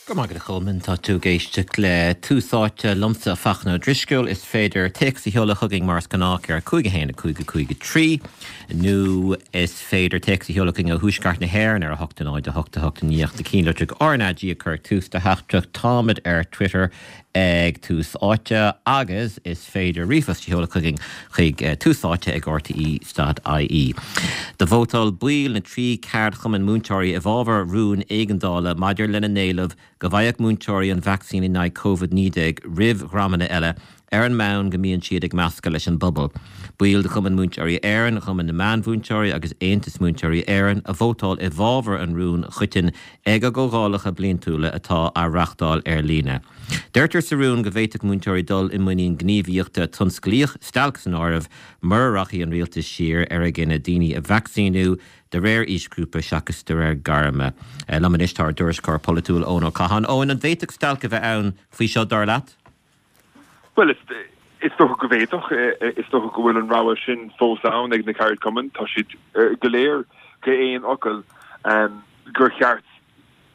Go raibh maith agat a Cholmáin, tá tú ag éisteacht le Tús Áite liomsa, Fachtna Ó Drisceoil. Is féidir téacs a sheoladh chugainn mar is gnách ar 5 1 5 5 3 nó is féidir téacs a sheoladh chugainn ó Thuaisceart na hÉireann ar 8 0 8 8 9 na cinnlitreach RnaG a chur ag tús do theachtaireacht. Táimid ar Twitter ag Tús Áite agus is féidir ríomhphost a sheoladh chugainn chuig túsáite ag rte.ie. Do vótáil baill na dtrí ceardchumann múinteoirí i bhfabhar rúin éigeandála maidir lena n-éileamh go bhfaigheadh múinteoirí an vacsaín in aghaidh Covid-19 roimh dhreamanna eile ar an mbonn go mbíonn siad ag meascadh leis an bpobal. Baill de Chumann Múinteoirí Éireann, Chumann na Meánmhúinteoirí agus Aontas Múinteoirí Éireann a vótáil i bhfabhar an rúin choitinn ag a gcomhdhálacha bliantúla atá á reáchtáil ar líne. Deirtear sa rún go bhféadfadh múinteoirí dul i muinín gníomhaíochta tionsclaíoch, stailc san áireamh, mura rachaidh an rialtas siar ar a gcinneadh daoine a vacsaíniú de réir aoisghrúpa seachas de réir gairme. Liom anois tá ár dtuairisceoir polaitiúil Eoin Ó Catháin. Eoin, an bhféadfadh stailc a bheith ann faoi seo, dar leat? Bhuel, is dócha go bhféadfadh. Is dócha go bhfuil an rogha sin fós ann ag na ceardchumainn. Tá siad go léir go haon fhocal gur cheart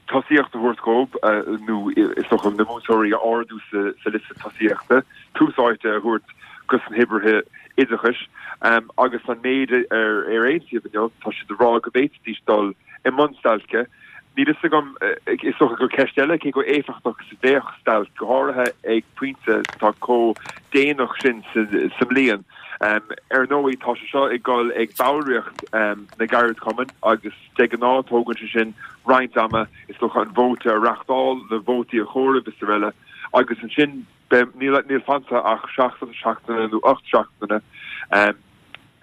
tosaíocht a thabhairt dhóibh, nó is dócha na múinteoirí a ardú sa liosta tosaíochta, tús áite a thabhairt dos na hoibrithe oideachais. Agus an méid ar aontaíodh inniu, tá siad ag rá go bhféadfaidís dul i mbun stailce. Níl fhios agam, is dócha gur ceist eile cé chomh éifeachtach is a bheadh stailc, go háirithe ag pointe atá chomh déanach sin sa mbliain. Ar ndóigh, tá sé seo ag dul ag ballraíocht na gceardchumann agus de ghnáth tógann sé sin roinnt ama, is dócha, an vóta a reáchtáil, na vótaí a chomhaireamh is araile agus ansin beidh, níl fanta ach seachtain, seachtaine nó 8 seachtaine.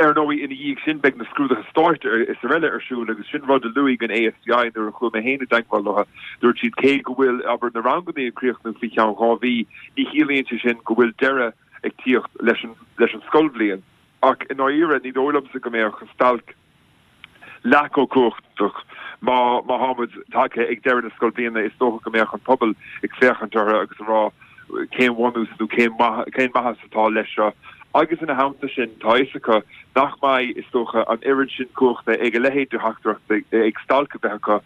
Ar ndóigh, ina dhiaidh sin beidh na scrúduithe stáit is araile ar siúl agus sin rud a luaigh an ASPI nuair a chuaigh mé féin i dteagmháil leo. Dúirt siad cé go bhfuil, abair, na ranganna ag críochnú faoi cheann 2 mhí, ní chiallaíonn sé sin go bhfuil deireadh ag tíocht leis an leis an scoilbhliain. Ach i ndáiríre, ní dóigh liomsa go mbeadh stailc leath chomh cumhachtach má má tá muid tagtha ag deireadh na scoilbhliana. Is dócha go mbeadh an pobal ag féachaint orthu agus ag rá cén bhunús nó cén cén maitheas atá leis seo. Agus ina theannta sin, tá a fhios acu nach mbeidh, is dócha, an oiread sin cumhachta ag a leithéid de theachtaireacht ag stailc a bheith acu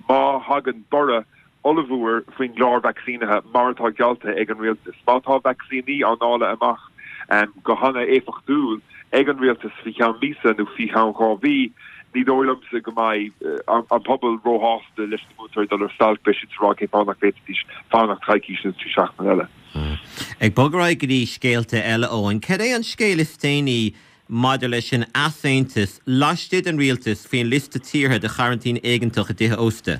má thagann borradh ollmhór faoin gclár vacsaínithe mar atá geallta ag an rialtas. Má tá vacsaíní á ndáileadh amach go hana-éifeachtúil ag an rialtas faoi cheann míosa nó faoi cheann 2 mhí, ní dóigh liomsa go mbeidh an pobal róshásta leis na múinteoirí dul ar stailc, beidh siad ag rá cén fáth nach bhféadfaidís fanacht coicís nó 3 seachtaine eile. Ag bogadh ar aghaidh go dtí scéalta eile, Eoin, cad é an scéal is déanaí maidir leis an easaontas laistigh den rialtas faoin liosta tíortha do choraintín éigeantach i dtithe ósta.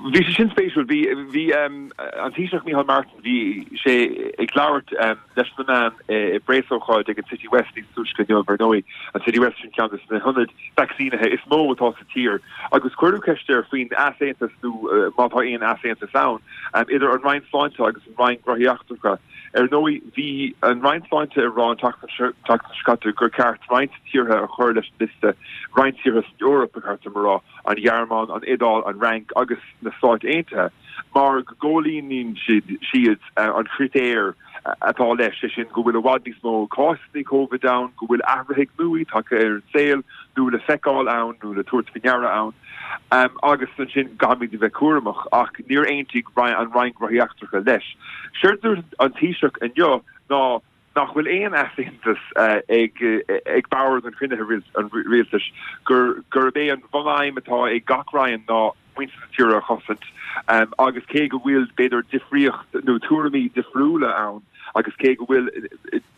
Bhí sé sin spéisiúil. Bhí, bhí an Taoiseach Micheál Martin, bhí sé ag labhairt leis na meáin i bpreasócáid ag an City West níos túisce inniu, ar ndóigh, an City West sin ceann de na hionaid vacsaínithe is mó atá sa tír, agus cuireadh ceist air faoin easaontas nó má tá aon easaontas ann idir an Roinn Sláinte agus an Roinn Gnóthaí Eachtracha. Ar ndóigh, bhí an Roinn Sláinte ag rá an tseachtain seo caite gur ceart roinnt tíortha a chur leis an liosta, roinnt tíortha san Eoraip, ba cheart dom a rá, an Ghearmáin, an Iodáil, an Fhrainc agus na Stáit Aontaithe, mar go gcomhlíonann siad an critéar atá leis, sé sin go bhfuil i bhfad níos mó cásanna Covid ann, go bhfuil athruithe nua tagtha ar an saol nó le feiceáil ann nó le tabhairt faoi ndeara ann. Agus ansin caithfimid a bheith cúramach, ach níor aontaigh an Roinn Gnóthaí Eachtracha leis. Séard a dúirt an Taoiseach inniu ná nach bhfuil aon easaontas ag bord an chruinnithe an rialtais, gurb é an bhunaidhm atá ag gach roinn ná muintir na tíre a chosaint agus cé go bhfuil b'fhéidir difríocht nó tuairimí difriúla ann agus cé go bhfuil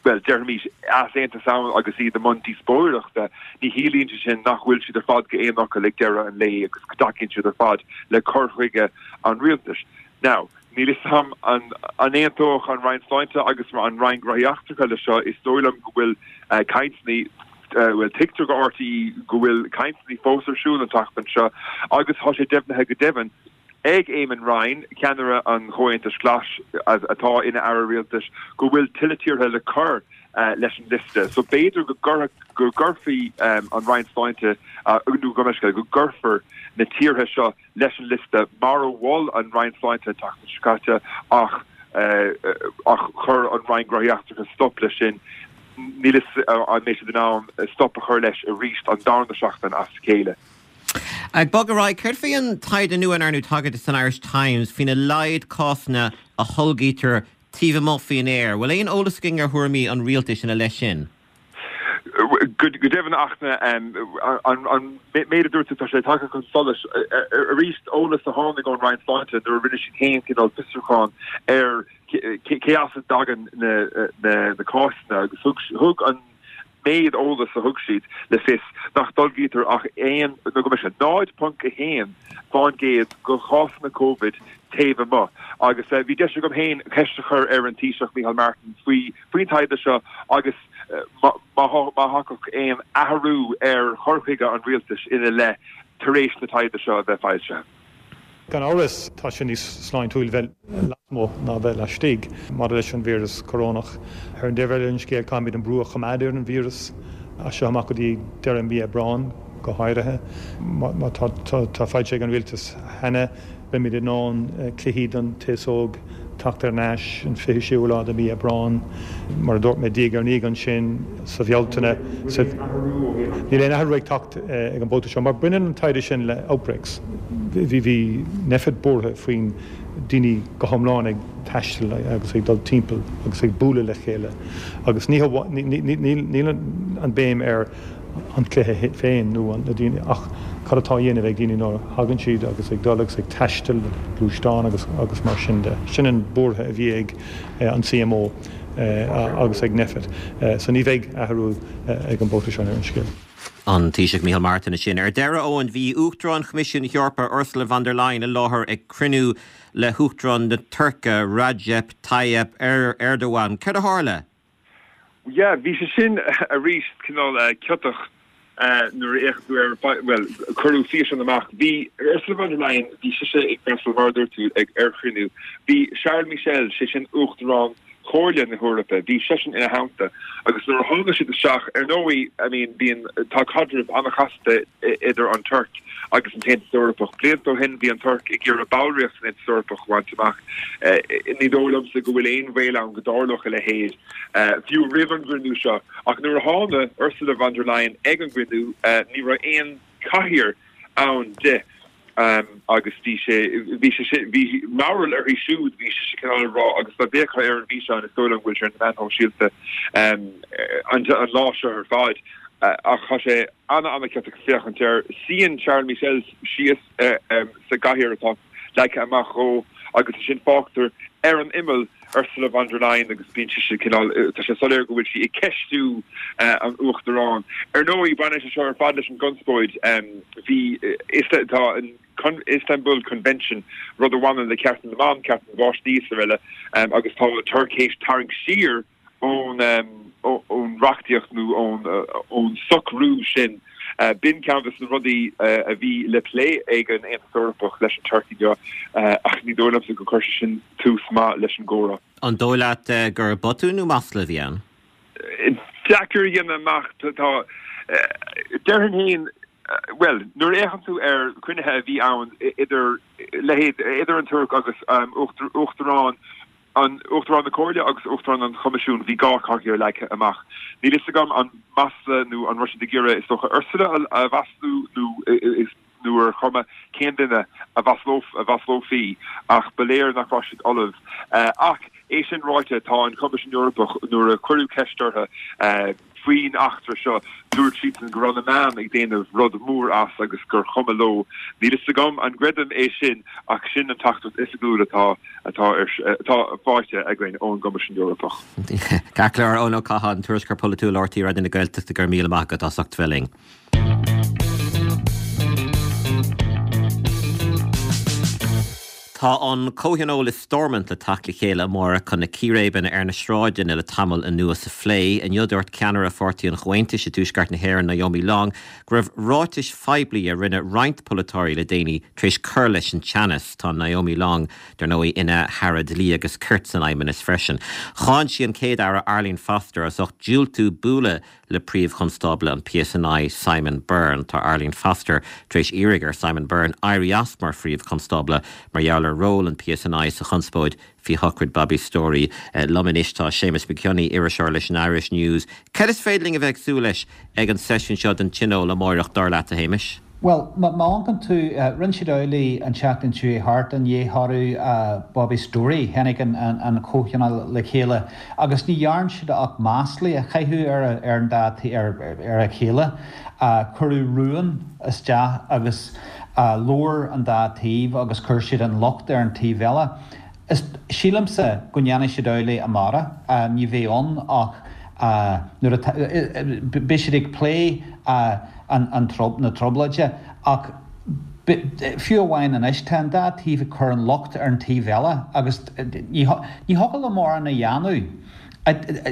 bhuel, déarfaimis, easaontas ann agus iad i mbun díospóireachta, ní chiallaíonn sé sin nach bhfuil siad ar fad go haon fhocal ag deireadh an lae agus go dtacaíonn siad ar fad le cur chuige an rialtais. Now, níl fhios agam an aontódh an Roinn Sláinte agus an Roinn Gnóthaí Eachtracha le seo, is dóigh liom go bhfuil cainteanna, bhuel, tuigtear go RTÉ go bhfuil cainteanna fós ar siúl an tseachtain seo agus tá sé deimhnithe go deimhin ag Eamon Ryan, ceannaire an Chomhaontais Ghlais atá ina aire rialtais, go bhfuil tuilleadh tíortha le cur leis an liosta. So b'fhéidir go go gcuirfí an Roinn Sláinte, nó go mbeidh, go gcuirfear na tíortha seo leis an liosta mar a mhol an Roinn Sláinte an tseachtain seo caite ach ach chuir an Roinn Gnóthaí Eachtracha stop leis sin. Níl fhios an mbeidh siad in ann stop a chur leis arís an darna seachtain as a chéile. Ag bogadh ar aghaidh, céard faoi an taighde nua a ndearnadh tagairt di san Irish Times faoina laghad cásanna a tholgaítear taobh amuigh faoin aer? Bhfuil aon eolas againn ar thuairimí an rialtais ina leith sin? Go deimhin ach an méid a dúirt tú, tá sé tagtha chun solais arís, eolas a tháinig ón Roinn Sláinte nuair a rinne siad féin cineál fiosrúchán ar cé as a dtagann na cásanna agus thug an méid eolais a thug siad le fios nach dtolgaítear ach aon, nó go mbeidh sé 0.1 fán gcéad de chásanna Covid taobh amuigh. Agus bhí deis agam féin ceist a chur ar an Taoiseach Micheál Martin faoi faoin taighde seo agus má thiocfadh aon athrú ar chur chuige an rialtais ina leith tar éis na taighde seo a bheith foilsithe. Gan amhras, tá sé níos sláintiúil bheith lasmuigh ná bheith laistigh maidir leis an víreas corónach. Ar an dtaobh eile den scéal, caithfimid an brú a choimeád ar an víreas as seo amach go dtí deireadh mhí Aibreáin go háirithe. Má tá foilsithe ag an rialtas cheana, Beimid in ann cluichí don t-aos óg teacht ar n-ais an 26ú lá de mhí Aibreán. Mar a dúirt mé, diaidh ar ndiaidh ansin sa Bhealtaine. Níl aon athrú ag teacht ag an mbabhta seo mar baineann an taighde sin le outbreaks. Bhí Nphet buartha faoin daoine go hiomlán ag taisteal agus ag dul timpeall agus ag bualadh le chéile agus ní níl an béim ar an cluiche féin nó na daoine ach cad atá á dhéanamh ag daoine nuair a thagann siad agus ag dul agus ag taisteal gluaisteán agus agus mar sin de. Sin an buartha a bhí ag an CMO agus ag Nphet. So ní bheidh athrú ag an mbabhta seo ar an scéal. An Taoiseach Micheál Martin ansin. Ar deireadh, Eoin, bhí Uachtarán Choimisiún na hEorpa, Ursula von der Leyen i láthair ag cruinniú le hUachtarán na Tuirce, Recep Tayyip Erdogan. Céard a tharla? Yeah, bhí sé sin arís cineál ciotach nuair a fhéachann tú ar, bhuel, cuireadh físeán amach. Bhí Ursula von der Leyen, bhí sise ag freastal, mar a dúirt tú, ag ar chruinniú. Bhí Charles Michel, sé sin Uachtarán Chomhairle na hEorpa, bhí seisean ina theannta agus nuair a tháinig siad isteach, ar ndóigh, I mean, bíonn, tá caidreamh an-chasta idir an Tuirc agus an tAontas Eorpach. Blianta ó shin bhí an Tuirc ag iarraidh ballraíocht san Aontas Eorpach a bhaint amach. Ní dóigh liomsa go bhfuil aon bhaol ann go dtarlódh a leithéid, fiú roimh an gcruinniú seo. Ach nuair a tháinig Ursula von der Leyen ag an gcruinniú, ní raibh aon chathaoir ann di agus bhí sé, bhí sé sin, bhí mearbhall uirthi siúd, bhí sise cineál ag rá agus dá bhféachfá ar an bhfíseán is dóigh liom go bhfuil sé ar na meáin shóisialta an lá seo ar fad ach tá sé ana-ana-chiotach féachaint air. Suíonn Charles Michel síos sa gcathaoir atá leagtha amach dhó agus ansin fágtar ar an imeall Ursula von der Leyen agus bíonn sise cineál, tá sé soiléir go bhfuil sí ag ceistiú an Uachtaráin. Ar ndóigh, baineann sé seo ar fad leis an gconspóid. Bhí, tá an Istanbul Convention, rud a bhaineann le cearta na mban, cearta na bpáistí is araile, agus tá an Tuirc théis tarraingt siar ón ón reachtaíocht nó ón ón socrú sin. B'in ceann de na rudaí a bhí le plé ag an Aontas Eorpach leis an Tuirc inniu ach ní dóigh liomsa gur chuir sé sin tús maith leis an gcomhrá. An dóigh leat gur botún nó masla a bhí ann? Deacair a dhéanamh amach. Tá, déarfainn féin, bhuel, nuair a fhéachann tú ar chruinnithe a bhí ann idir leithéid, idir an Tuirc agus Uachtarán an Uachtarán na Comhairle agus Uachtarán an Choimisiúin, bhí dhá chathaoir leagtha amach. Níl fhios agam an masla nó an raibh siad ag iarraidh, is dócha, Ursula a mhaslú nó nó ar chuma cén duine a mhaslófaí ach ba léir nach raibh siad ullamh. Ach é sin ráite, tá an Coimisiún Eorpach, nuair a cuireadh ceist orthu, Faoin eachtra seo, dúirt siadsan go raibh na meáin ag déanamh rud mór as agus gur chuma leo. Níl fhios agam an gcreidim é sin ach sin an teachtaireacht oifigiúil atá atá ar atá faighte againn ón gCoimisiún Eorpach. Ceart go leor, Eoin Ó Catháin, Tuairisceoir Polaitiúil RTÉ Raidió na Gaeltachta, go raibh míle maith agat as ucht bheith linn. Tá an Comhthionól i Stormont le teacht le chéile amárach chun na círéibeanna ar na sráideanna le tamall anuas a phlé. Inniu dúirt ceannaire Pháirtí an Chomhaontais i dTuaisceart na hÉireann, Naomi Long, go raibh ráitis phoiblí a rinne roinnt polaiteoirí le déanaí tar éis cur leis an teannas. Tá Naomi Long, dar ndóigh, ina hAire Dlí agus Cirt san Fheidhmeannas freisin. Cháin sí an Chéad-Aire Arlene Foster as ucht diúltú bualadh le Príomh-Chonstábla an PSNI, Simon Byrne. Tá Arlene Foster tar éis iarraidh ar Simon Byrne éirí as mar Phríomh-Chonstábla mar gheall ar ról an PSNI sa chonspóid faoi shochraid Bobby Storey. Liom anois tá Séamus Mac Cionnaith, iriseoir leis an Irish News. Cad is féidir linn a bheith ag súil leis ag an seisiún seo den Tionól amáireach, dar leat, a Shéamais? Bhuel, má amharcann tú, rinne siad amhlaidh an tseachtain seo chuaigh thart i ndiaidh thoradh Bobby Storey, tháinig an comhthionól le chéile agus ní dhearn siad ach maslaí a chaitheamh ar an dá ar a chéile. Cuireadh rún isteach agus labhair an dá taobh agus chuir siad an locht ar an taobh eile. Is, sílimse go ndéanfaidh siad amhlaidh amárach. Ní bheidh ann ach nuair atá, beidh siad ag plé an, na trioblóide ach fiú amháin anois tá an dá taobh ag cur an locht ar an taobh eile agus ní thiocfadh leo mórán a dhéanamh.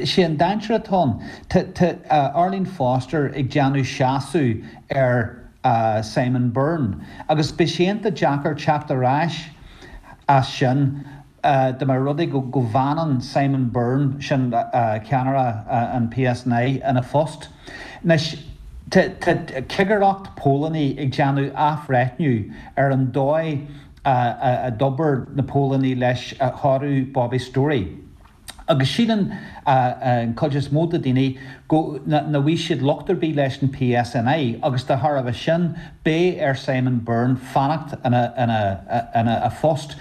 Sé an dainséar atá ann, tá Arlene Foster ag déanamh seasamh ar Simon Byrne agus beidh sé iontach deacair teacht ar ais as sin dá mba rud é go bhfanann Simon Byrne, sin ceannaire an PSNI, ina phost. Anois, tá cigireacht póilíní ag déanamh athbhreithniú ar an dóigh a d'obair na póilíní leis thoradh Bobby Storey. Agus síleann an chuid is mó de daoine go nach bhfaighidh siad locht ar bith leis an PSNI agus de thairbhe sin beidh ar Simon Byrne fanacht ina a phost.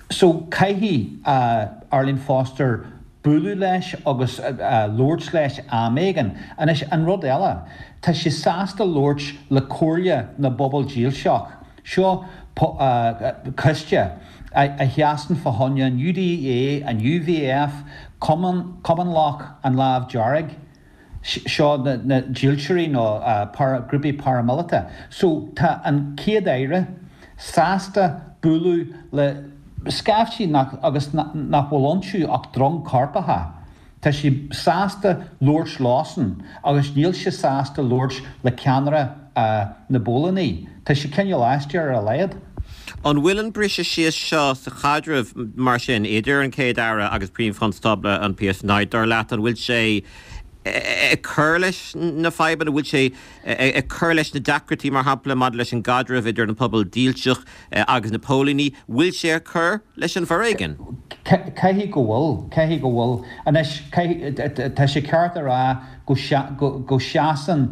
So caithfidh Arlene Foster bualadh leis agus labhairt leis am éigin. Anois an rud eile, tá sí sásta labhairt le Comhairle na bPobal Dílseach. Seo coiste a sheasann fá choinne an UDA, an UVF, Comanlach an Lámh Dearg, seo na dílseoirí nó grúpaí paramíleata. So tá an Chéad-Aire sásta bualadh le scaifte nach agus nach bhfuil iontu ach drong coirpeacha. Tá sé sásta labhairt leosan agus níl sé sásta labhairt le ceannaire na bpóilíní. Tá sé cineál aisteach ar a laghad. An bhfuil an briseadh síos seo sa chaidreamh, mar sin, idir an Chéad-Aire agus Príomh-Chonstábla an PSNI, dar leat, an bhfuil sé ag cur leis na fadhbanna, an bhfuil sé ag cur leis na deacrachtaí, mar shampla, maidir leis an gcaidreamh idir an pobal dílseach agus na póilíní, bhfuil sé ag cur leis an bhforéigean? Caithfidh go bhfuil. Caithfidh go bhfuil. Anois, caithfidh, tá sé ceart a rá go, go seasann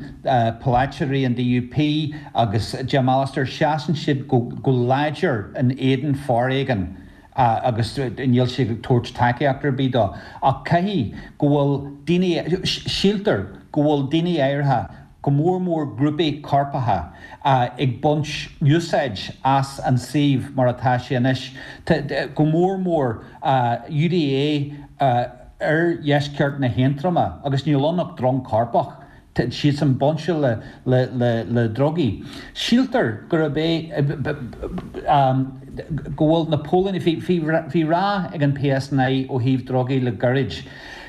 polaiteoirí an DUP agus Jim Allister, seasann siad go, go láidir in éadan foréigin agus níl siad ag tabhairt tacaíocht ar bith dó. Ach caithfidh go bhfuil daoine, síltear go bhfuil daoine áirithe, go mór mór grúpaí coirpeacha, ag baint úsáid as an suíomh mar atá sé anois, go mór mór UDA oirdheisceart na hAontroma, agus níl ann ach drong coirpeach, tá siadsan bainte le drugaí. Síltear gurb é go bhfuil na póilíní, bhí rath ag an PSNI ó thaobh drugaí le gairid.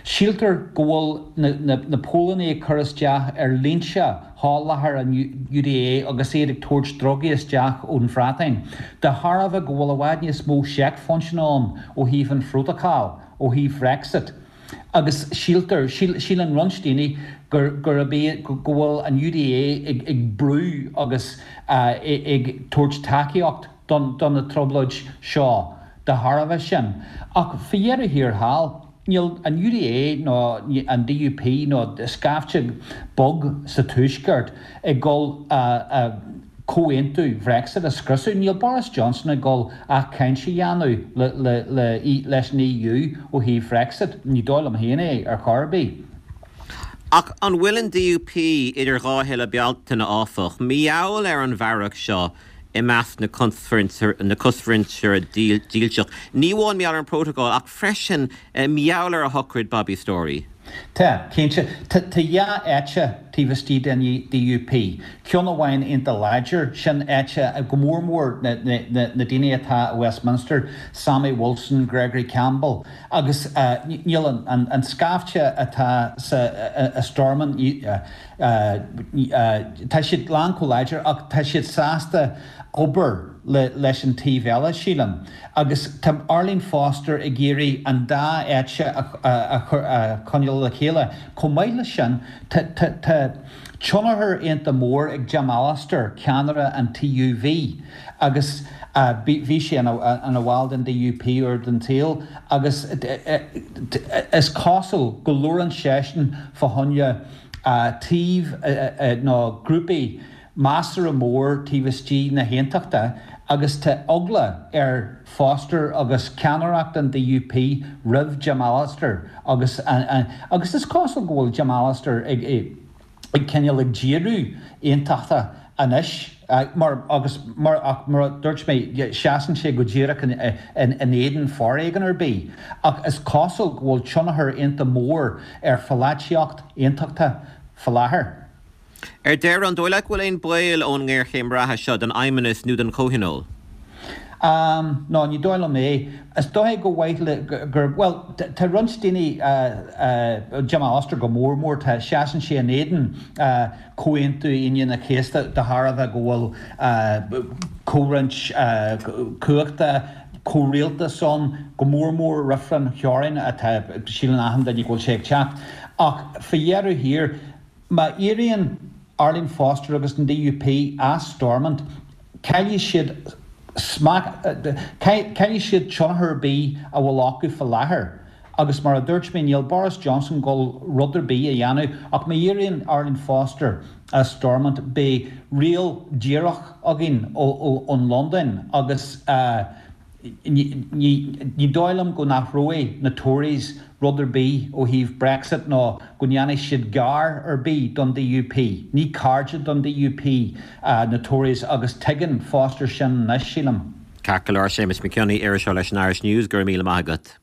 Síltear go bhfuil na póilíní ag cur isteach ar línte sholáthair an UDA agus iad ag tabhairt drugaí isteach ón Bhreatain, de thairbhe go bhfuil i bhfad níos mó seicphointeanna ann ó thaobh an phrótacail, ó thaobh Bhrexit. Agus síltear, síleann roinnt daoine gurb é go bhfuil an UDA ag brú agus ag tabhairt tacaíocht do na trioblóid seo de thairbhe sin. Ach faoi dheireadh thiar thall, Níl an UDA nó an DUP nó scaifte beag sa Tuaisceart ag dul comhaontú Bhrexit a scriosadh. Níl Boris Johnson ag dul ach caint a dhéanamh leis an EU ó thaobh Bhrexit. Ní dóigh liom féin é ar chor ar bith. Ach an bhfuil an DUP idir dhá thuile Bealtaine, áfach, mar gheall ar an bhfearg seo i measc na cosmhuintire dílseach, ní amháin mar gheall ar an bprótacal ach freisin mar gheall ar shochraid Bobby Storey. Tá, cinnte. Tá dhá eite taobh istigh den DUP. Ceann amháin iontach láidir, sin eite go mór mór na daoine atá i Westminster, Sammy Wilson, Gregory Campbell, agus níl an scaifte atá sa i Stormont, Tá siad lán chomh láidir ach tá siad sásta obair leis an taobh eile, sílim. Agus tá Arlene Foster ag iarraidh an dá eite a choinneáil le chéile. Chomh maith leis sin, tá tionchar iontach mór ag Jim Allister, ceannaire an TUV, agus bhí sé ina bhall den DUP uair den tsaol agus is cosúil go labhrann seisean fá choinne taobh nó grúpaí. measartha mór taobh istigh na hAontachta agus tá eagla ar Foster agus ceannaireacht an DUP roimh Jim Allister agus agus is cosúil go bhfuil Jim Allister ag ag cineál ag díriú aontachtach anois mar agus mar ach mar a dúirt mé seasann sé go díreach in in éadan foréigean ar bith ach is cosúil go bhfuil tionchar iontach mór ar pholaitíocht aontachtach faoi láthair. Ar deireadh, an dóigh leat go bhfuil aon baol ón ngéarchéim reatha seo don Fheidhmeannas nó don Chomhthionól? Ahm, no, ní dóigh liom é. Is dóigh go mhaith le, gur, bhuel, tá roinnt daoine, Jim Allister go mór mór, tá, seasann sé in éadan Comhaontú Aoine an Chéasta de thairbhe go bhfuil comhroinnt cumhachta, comhrialtas ann, go mór mór reifreann theorainn atá, síleann achan duine go bhfuil sé ag teacht. Ach faoi dheireadh thiar, Má éiríonn Arlene Foster agus an DUP as Stormont, caillfidh siad smacht, caillfidh siad tionchar ar bith a bhfuil acu faoi láthair. Agus mar a dúirt mé, níl Boris Johnson ag dul rud ar bith a dhéanamh ach má éiríonn Arlene Foster as Stormont, beidh riail díreach againn ón Londain agus. Ní dóigh liom go n-athróidh na Tories rud ar bith ó thaobh Brexit nó go ndéanfaidh siad gar ar bith don DUP. Ní cairde don DUP na Tories agus tuigeann Foster sin anois, sílim. Ceart go leor, Séamus Mac Cionnaith, iriseoir leis an Irish News, go raibh míle maith agat.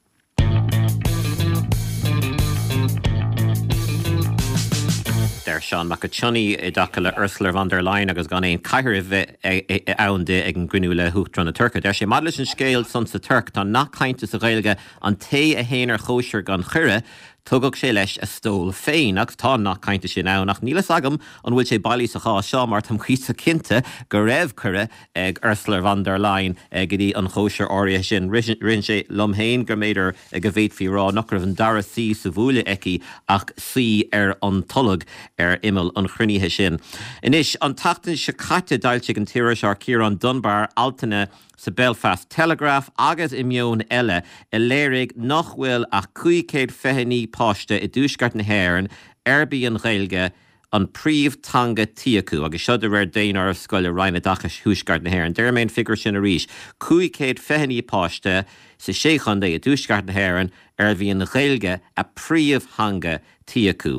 Deir Seán Mac Cionnaith i dtaca le Ursula von der Leyen agus gan aon chathaoir a bheith ann di ag an gcruinniú le hUachtarán na Tuirce. Deir sé, Maidir leis an scéal san sa Tuirc, tá nath cainte sa Ghaeilge, an té a théann ar chóisir gan chuireadh, tugadh sé leis a stól féin. Agus tá an nath cainte sin ann, ach níl fhios agam an bhfuil sé bailí sa chás seo mar táim cuíosach cinnte go raibh cuireadh ag Ursula von der Leyen go dtí an chóisir áirithe sin. Ritheann sé liom féin go mb'fhéidir go bhféadfaí a rá nach raibh an dara suí sa bhuaile aici ach suí ar an tolg ar imeall an chruinnithe sin. Anois, an tseachtain seo caite d'fhoilsigh an t-iriseoir Ciarán Dunbar altanna sa Belfast Telegraph agus i Meon Eile a léirigh nach bhfuil ach 529 páiste i dTuaisceart na hÉireann arb í an Ghaeilge an príomh-teanga tí acu, agus seo de réir daonáireamh scoile Roinn Oideachais Thuaisceart na hÉireann. Déarfaidh mé an figiúr sin arís, 529 páiste sa sé chontae i dTuaisceart na hÉireann arbh í an Ghaeilge a príomh-theanga tí acu.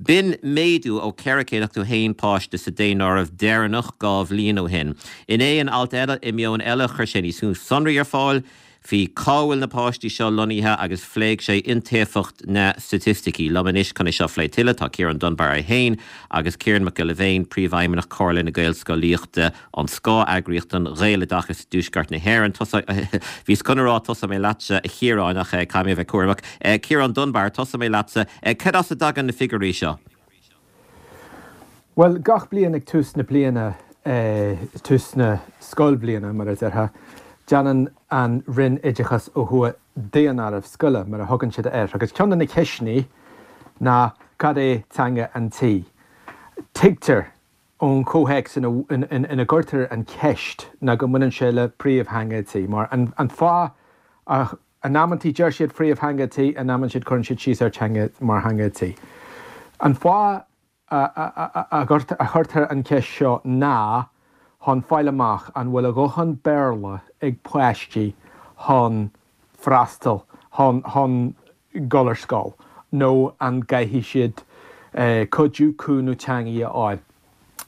B'in méadú ó 481 páiste sa daonáireamh deireanach 2 bhliain ó shin. Inné in alt eile i Meon Eile chuir sé níos mó sonraí ar fáil faoi cá bhfuil na páistí seo lonnaithe agus phléigh sé iontaofacht na staitisticí. Liom anois chun é seo a phlé tuilleadh tá Ciarán Dunbar é féin agus Ciarán Mac Giolla Bhéin, Príomhfheidhmeannach Chomhairle na Gaelscolaíochta, an scáth-eagraíocht don Ghaeloideachas i dTuaisceart na hÉireann. Bhíos chun a rá tosóidh mé leatsa a Chiaráin ach caithfidh mé a bheith cúramach. Ciarán Dunbar, tosóidh mé leatsa. Cad as a dtagann na figiúirí seo? Bhuel, gach bliain ag tús na bliana, tús na scoilbhliana mar a déarfá, déanann an Roinn Oideachais ó thuaidh daonáireamh scoile, mar a thugann siad air, agus ceann de na ceisteanna ná cad é teanga an tí? Tuigtear ón chomhthéacs ina gcuirtear an cheist ná go mbaineann sé le príomhtheanga an tí, mar an fáth a In amantaí deir siad phríomhtheanga tí, in amantaí siad cuireann siad síos ar teanga mar theanga tí. An fáth a chuirtear an cheist seo ná chun fáil amach an bhfuil a dhóthain Béarla ag páistí chun freastal, chun chun dul ar scoil nó an gcaithfidh siad cuidiú, cúnamh teangaí a fháil.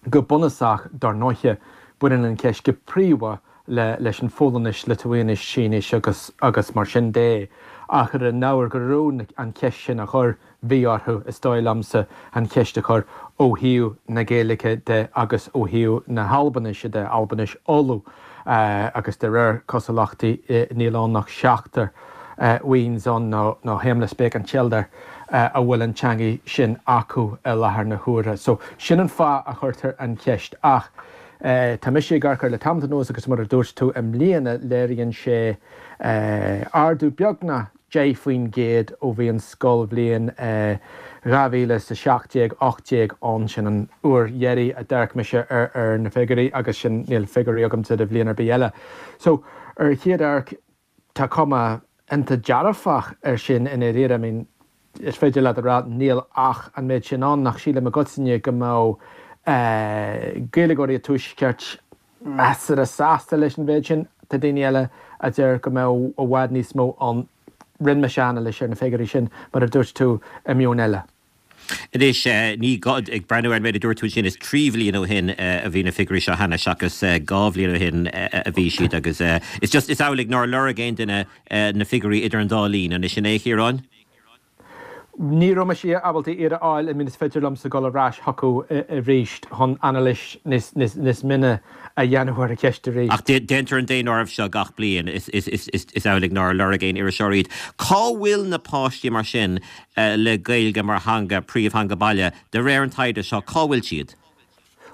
Go bunúsach, dar ndóiche, baineann an cheist go príomha le leis an Pholainnis, Liotuáinis, Sínis agus agus mar sin de, ach ar an ábhar go raibh an cheist sin á chur, bhí orthu, is dóigh liomsa, an cheist a chur ó thaobh na Gaeilge de agus ó thaobh na hAlbainise de, Albainis Uladh, agus de réir cosúlachtaí níl ann ach seachtar weans ann nó nó heimlisbeag an tseildear. a bhfuil an teangaidh sin acu i láthair na huaire. So, sin an fáth a chuirtear an cheist. Ach tá mise ag amharc air le tamall anuas agus mar a dúirt tú, i mbliana léiríonn sé ardú beagnach 10% ó bhí an scoilbhliain 2017, 18 ann. Sin an uair dheiridh a d'amharc mise ar na figiúirí agus sin, níl figiúirí agamsa do bhliain ar bith eile. So, ar chéad amharc, Tá cuma iontach dearfach air sin i ndáiríre. I mean, is féidir leat a rá níl ach an méid sin ann, ach sílim i gcoitinne go mbeadh. Gaeilgeoirí an Tuaiscirt measartha sásta leis an mhéid sin. Tá daoine eile a deir go mbeadh i bhfad níos mó ann. Rinne mise anailís ar na figiúirí sin, mar a dúirt tú, i Meon Eile. Anois, ní gá, ag breathnú ar an méid a dúirt tú ansin, is 3 bhliain ó shin a bhí na figiúirí seo cheana seachas 2 bhliain ó shin a bhí siad agus is just, is amhlaidh nár lorg aon duine na figiúirí idir an dá linn, an sin é, a Chiaráin? Ní raibh mise ábalta iad a fháil, I mean is féidir liomsa dul ar ais chucu arís chun anailís níos mine a dhéanamh ar an cheist arís. Ach déantar an daonáireamh seo gach bliain, is amhlaidh nár lorg aon iriseoir iad. Cá bhfuil na páistí mar sin le Gaeilge mar theanga, príomhtheanga baile, de réir an taighde seo, cá bhfuil siad?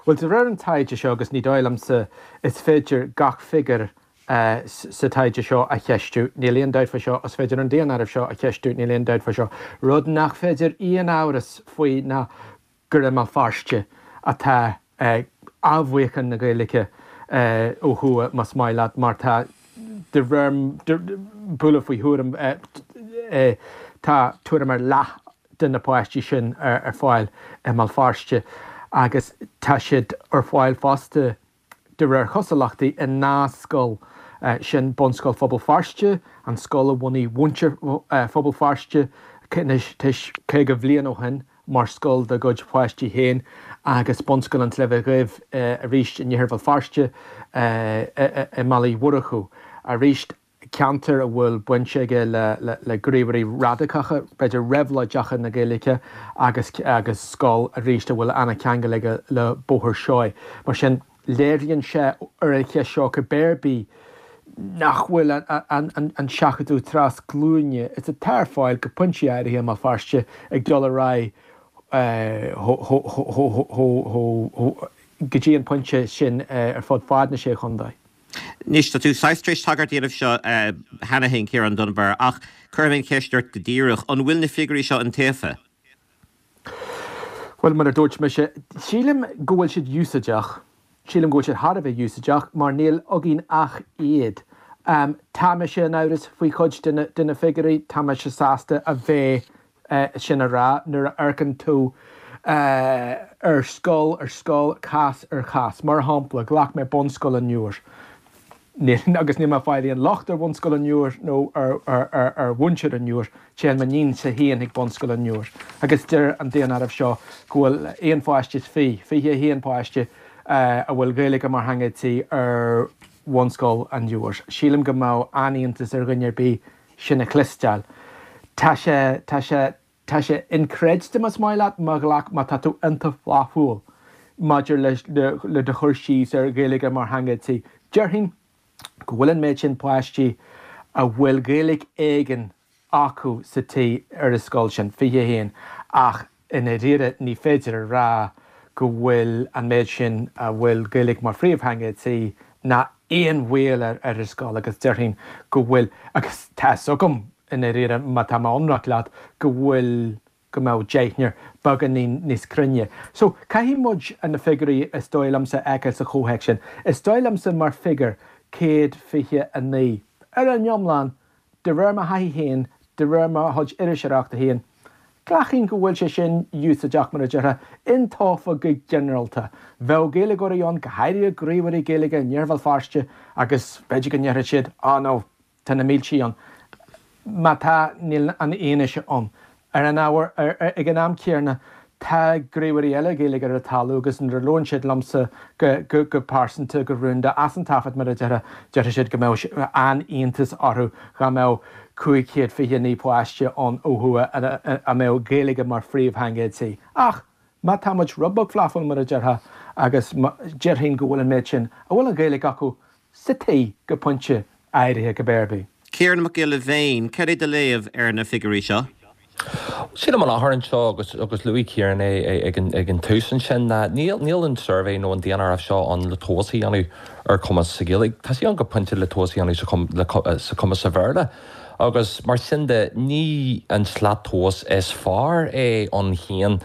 Bhuel, de réir an taighde seo, agus ní dóigh liomsa is féidir gach figiúr sa taighde seo a cheistiú, níl aon dabht faoi seo, is féidir an daonáireamh seo a cheistiú, níl aon dabht faoi seo. Rud nach féidir aon amhras faoi ná gur i mBéal Feirste atá athbheochan na Gaeilge ó thuaidh, más maith leat, mar tá, de réir bualadh faoi thuairim, tá tuairim ar leath de na páistí sin ar fáil i mBéal Feirste agus tá siad ar fáil fosta De réir chosúlachtaí, i ndá scoil, sin Bunscoil Phobal Feirste, an scoil a bhunaigh muintir Phobal Feirste anois 50 bhliain ó shin mar scoil dá gcuid páistí féin, agus Bunscoil an tSléibhe Dhuibh arís in iarthar Bhéal Feirste i mBaile Uí Mhurchú. Arís. ceantar a bhfuil baint aige le gníomhairí radacacha, b'fhéidir réabhlóideacha na Gaeilge agus agus scoil arís a bhfuil an-cheangal aige le Bóthar Seoighe. Mar sin, léiríonn sé ar an cheist seo cibé ar bith nach bhfuil an seachadadh trasghlúine is atá ar fáil go pointí áirithe i mBéal Feirste ag dul ar aghaidh go dtí an pointe sin ar fud fad na Sé Chontae. Anois, tá tú saghas tar éis tagairt a dhéanamh seo cheana féin, Ciarán Dunbar, ach cuirfidh mé an cheist ort go díreach, an bhfuil na figiúirí seo iontaofa? Bhuel, mar a dúirt mise, sílim go bhfuil siad úsáideach. Sílim go bhfuil siad thar a bheith úsáideach mar níl againn ach iad. Tá mise in amhras faoi chuid de na figiúirí, tá mise sásta a bheith sin a rá nuair a amharcann tú ar scoil ar scoil, cás ar chás. Mar shampla, ghlac mé Bunscoil an Iúir. Níl, agus níl mé ag fáil aon locht ar Bhunscoil an Iúir nó ar mhuintir an Iúir, téann m'iníonsa féin chuig Bunscoil an Iúir agus deir an daonáireamh seo go bhfuil aon pháiste is fi, 21 páiste, a bhfuil Gaeilge mar theanga tí ar Bhunscoil an Iúir. Sílim go mbeadh an-iontas ar dhuine ar bith sin a chloisteáil. Tá sé, tá sé, tá sé inchreidte más maith leat, má ghlac, má tá tú iontach flaithiúil maidir le, le, le do chur síos ar Ghaeilge mar theanga tí. Déarfainn go bhfuil an méid sin páistí a bhfuil Gaeilge éigin acu sa tí ar an scoil sin, 21, ach i ndáiríre ní féidir a rá go bhfuil an méid sin a bhfuil Gaeilge mar phríomhtheanga tí ná aon bhaol ar an scoil agus déarfainn go bhfuil, agus tá fhios agam i ndáiríre má tá mé ionraic leat, go bhfuil, go mbeadh deichniúr beagáinín níos cruinne. So, caithfidh muid na figiúirí is dóigh liomsa a fheiceáil sa chomhthéacs sin. Is dóigh liomsa mar figiúr, 129, ar an iomlán, De réir mo thaithí féin, de réir mo chuid iriseoireachta féin, glacaim go bhfuil sé sin úsáideach, mar a déarfá, iontaofa go ginearálta. Bheadh Gaeilgeoirí ann, go háirithe gníomhairí Gaeilge in iarthar Bhéal Feirste, agus b'fhéidir go ndéarfadh siad, oh no, tá na mílte ann. Má tá, níl an fhianaise ann. Ar an ábhar, ag an am céanna, tá gníomhairí eile Gaeilge ar an talamh agus nuair a labhrann siad liomsa go pearsanta, go rúnda, as an taifead mar a déarfá, déarfaidh siad go mbeadh an-iontas orthu dhá mbeadh 529 páiste ann ó thuaidh a mbeadh Gaeilge mar phríomhtheanga tí. Ach má tá muid rud beag flaithiúil mar a déarfá agus déarfainn go bhfuil an méid sin a bhfuil an Ghaeilge acu sa tí go pointe áirithe cibé ar bith. Ciarán Mac Giolla Bhéin, cad é do léamh ar na figiúirí seo? Sílim an achar anseo, agus agus luaigh Ciarán é ag an ag an tús ansin, ná níl níl an suirbhé nó an daonáireamh seo ann le tomhas a dhéanamh ar chumas sa Ghaeilge. Tá sé ann go pointe le tomhas a dhéanamh sa sa chumas sa Bhéarla. Agus mar sin de, ní an slat tomhais is fearr é ann féin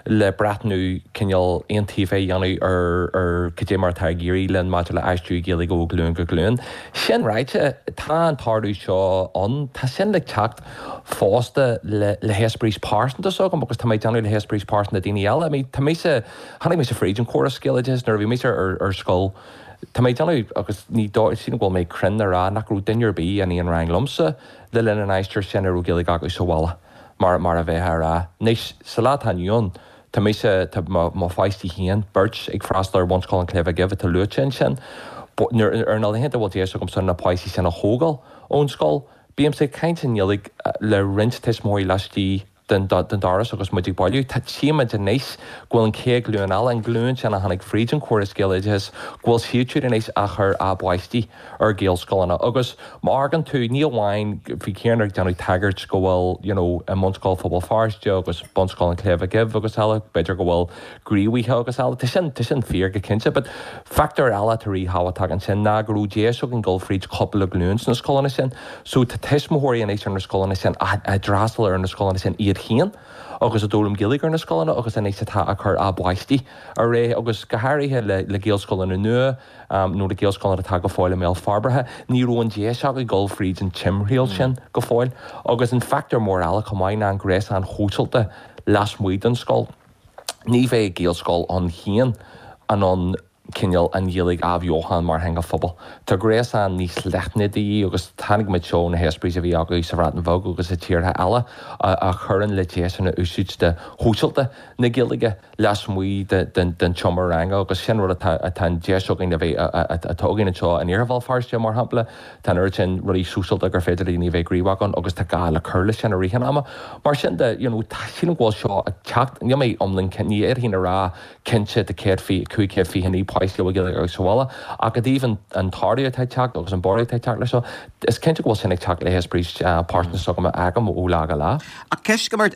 le breathnú cineál iontaofa a dhéanamh ar ar cad é mar atá ag éirí linn maidir le aistriú Gaeilge ó ghlúin go glúin. Sin ráite, tá an t-ardú seo ann, tá sin le teacht fosta le le heispéiris pearsanta s'agam agus tá mé ag déanamh le heispéiris pearsanta daoine eile. I mean, tá mise, tháinig mise fríd an chóras Gaeloideachais nuair a bhí mise ar ar scoil, Tá mé ag déanamh, agus ní dóigh, sílim go bhfuil mé cruinn a rá nach raibh duine ar bith in aon rang liomsa le linn an aistir sin a raibh Gaeilge acu sa bhaile, mar, mar a bheifeá a rá. Anois, sa lá atá inniu ann, tá mise, tá mo, mo pháistí féin, beirt, ag freastal ar Bhunscoil an tSléibhe Dhuibh atá luaite ansin. Nuair, ar na laethanta a bhfuil deis agamsa na páistí sin a thógáil ón scoil, bímse ag caint i nGaeilge le roinnt tuismitheoirí laistigh den doras agus muid ag bailiú. Tá tchímid anois go bhfuil an chéad ghlúin eile, an ghlúin sin a tháinig fríd an chóras Gaeloideachais, go bhfuil siad siúd anois á chur a bpáistí ar Ghaelscoileanna. Agus má amharcann tú, ní amháin, bhí Ciarán ag déanamh tagairt go bhfuil, you know, i mBunscoil Phobal Feirste agus Bunscoil an tSléibhe Dhuibh agus eile, b'fhéidir go bhfuil gníomhaithe agus eile. Tá sin, tá sin fíor go cinnte, but factor eile atá ríthábhachtach ansin ná go raibh deis againn dul fríd cúpla glúin sna scoileanna sin. So tá tuismitheoirí anois ar na scoileanna sin a d'fhreastail ar na scoileanna sin iad féin agus a d'fhoghlaim Gaeilge ar na scoileanna agus anois atá ag cur a bpáistí ar aghaidh agus go háirithe le le Gaelscoileanna nua nó le Gaelscoileanna atá go fóill i mbéal forbartha, ní raibh an deis acu dul fríd an timthriall sin go fóill. Agus an factor mór eile chomh maith ná an gréasán shóisialta lasmuigh den scoil. Ní bheidh Gaelscoil ann féin in ann cineál an Ghaeilge a athbheochan mar theanga phobail. Tá gréasán níos leithne de dhíth agus chonaic muid seo ó na heispéiris a bhí acu sa Bhreatain Bheag agus i tíortha eile a chuireann le deiseanna úsáide shóisialta na Gaeilge lasmuigh den tseomra ranga agus sin rud atá atá an deis againn a bheith atá againn anseo in Iarthar Bhéal Feirste mar shampla. Tá an oiread sin rudaí sóisialta gur féidir le daoine a bheith gníomhach ann agus tá gá le cur leis sin i rith an ama. Mar sin de, you know, tá, sílim go bhfuil seo ag teacht, níl mé iomlán cinnte, ní fhéadfainn a rá cinnte de 120, 529 páiste a bhfuil Gaeilge acu sa bhaile, ach i dtaobh an, an t-ardú atá ag teacht agus an borradh atá ag teacht leis seo, is cinnte go bhfuil sin ag teacht le heispéiris pearsanta s'agam a fhaighim ó lá go lá. Ach ceist agam ort,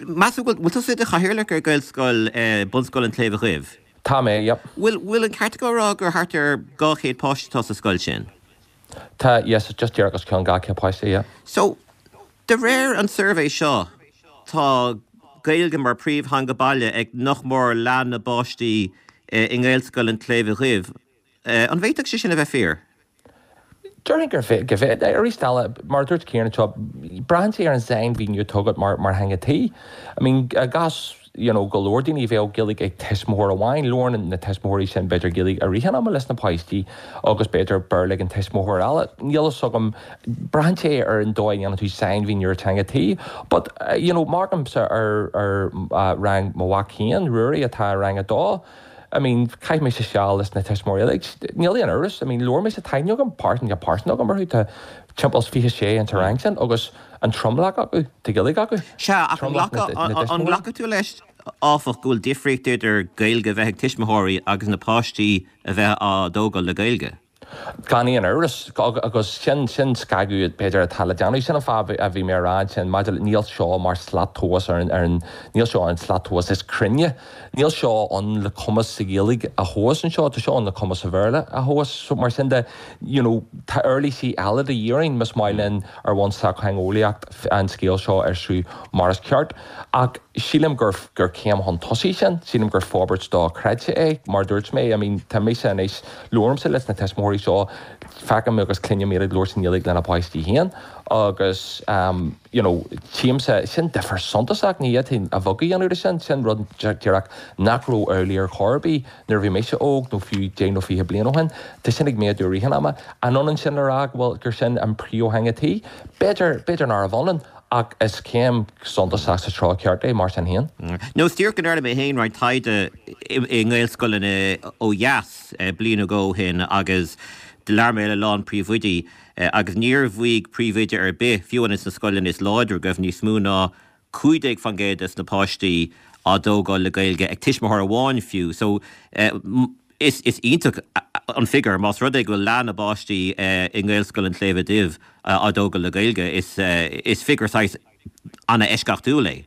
meas tú go bhfuil, bhfuil tusa i do chathaoirleach ar Ghaelscoil, Bunscoil an tSléibhe Dhuibh? Tá mé, yep. Bhfuil, bhfuil an ceart agam a rá gur thart ar 200 páiste atá sa scoil sin? Tá, yes, just díreach os cionn 200 páiste, yeah. So, de réir an suirbhé seo, tá Gaeilge mar príomhtheanga baile ag nach mór leath na bpáistí i nGaelscoil an tSléibhe Dhuibh. An bhféadfadh sé sin a bheith fíor? Déarfainn gur go bhféadfadh. Arís eile, mar a dúirt Ciarán anseo, braitheann sé ar an sainmhíniú atá agat mar mar theanga tí. I mean, i gcás you know go leor daoine, bheadh Gaeilge ag tuismitheoir amháin, labhrann na tuismitheoirí sin b'fhéidir Gaeilge i rith an ama leis na páistí agus b'fhéidir Béarla ag an tuismitheoir eile. Níl a fhios agam, braitheann sé ar an dóigh a ndéanann tú sainmhíniú ar teanga tí. But you know, má amharcaimse ar ar rang mo mhac féin, Ruairí, atá i rang a dó, I mean, chaith mise seal leis na tuismitheoirí uilig, níl aon amhras, I mean, labhair mise, tá aithne agam, pearsan, tá pearsan agam orthu, tá timpeall is 26 in sa rang sin agus an tromlach acu, tá Gaeilge acu. Sea, ach an nglacfaidh tú leis, áfach, go bhfuil difríocht idir Gaeilge a bheith ag tuismitheoirí agus na páistí a bheith á dtógáil le Gaeilge? Gan aon amhras, agus sin, sin scagadh b'fhéidir atá le déanamh. Sin an fáth a bhí mé a rá ansin maidir le, níl seo mar slat tomhais ar an, ar an, níl seo an slat tomhais is cruinne. Níl seo ann le cumas sa Ghaeilge a thomhas anseo, tá seo ann le cumas sa Bhéarla a thomhas. So mar sin de, you know, tá uirlisí eile de dhíth orainn más maith linn ar bhonn sochtheangeolaíocht an scéal seo a fhiosrú mar is ceart. Ach sílim gur, gur céim chun tosaigh sin, sílim gur forbairt dochreidte é, mar a dúirt mé, I mean, tá mise anois, Labhraímse leis na tuismitheoirí seo, feicim agus cluinim iad ag labhairt i nGaeilge lena bpáistí féin agus you know tchímse, sin difear suntasach, ní fhéadfainn a bheag a dhéanamh de sin, sin rud díreach nach raibh amhlaidh ar chor ar bith nuair a bhí mise óg nó fiú deich nó 20 bliain ó shin. Tá sin ag méadú i rith an ama. An ionann sin le rá go bhfuil, gur sin an príomhtheanga tí? B'fhéidir, b'fhéidir nárbh ionann ach is céim suntasach sa treo ceart é mar sin féin. Nó is díreach go ndearna mé féin roinnt taighde i nGaelscoileanna ó dheas bliain nó dhó ó shin agus labhair mé le a lán príomhoidí agus níor mhaígh príomhoide ar bith, fiú amháin sna scoileanna is láidre, go raibh níos mó ná 15% des na páistí á dtógáil le Gaeilge ag tuismitheoir amháin fiú. So is iontach an figiúr más rud é go bhfuil leath na bpáistí i nGaelscoil an tSléibhe Duibh á dtógáil le Gaeilge. Is figiúr saghas an-eisceachtúil é.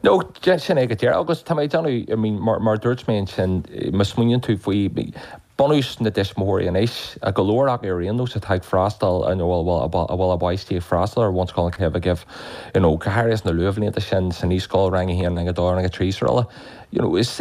No, sin é go díreach agus tá mé ag déanamh, I mean, mar, mar a dúirt mé ansin, má smaoiníonn tú faoi. Bunús na dtuismitheoirí anois, go leor acu ar aon nós atá ag freastal nó a bhfuil a bpáistí ag freastal ar Bhunscoil an tSléibhe Dhuibh, you know, go háirithe sna luathbhlianta sin, sa naíscoil, rang a haon, rang a dó, rang a trí srl. You know, is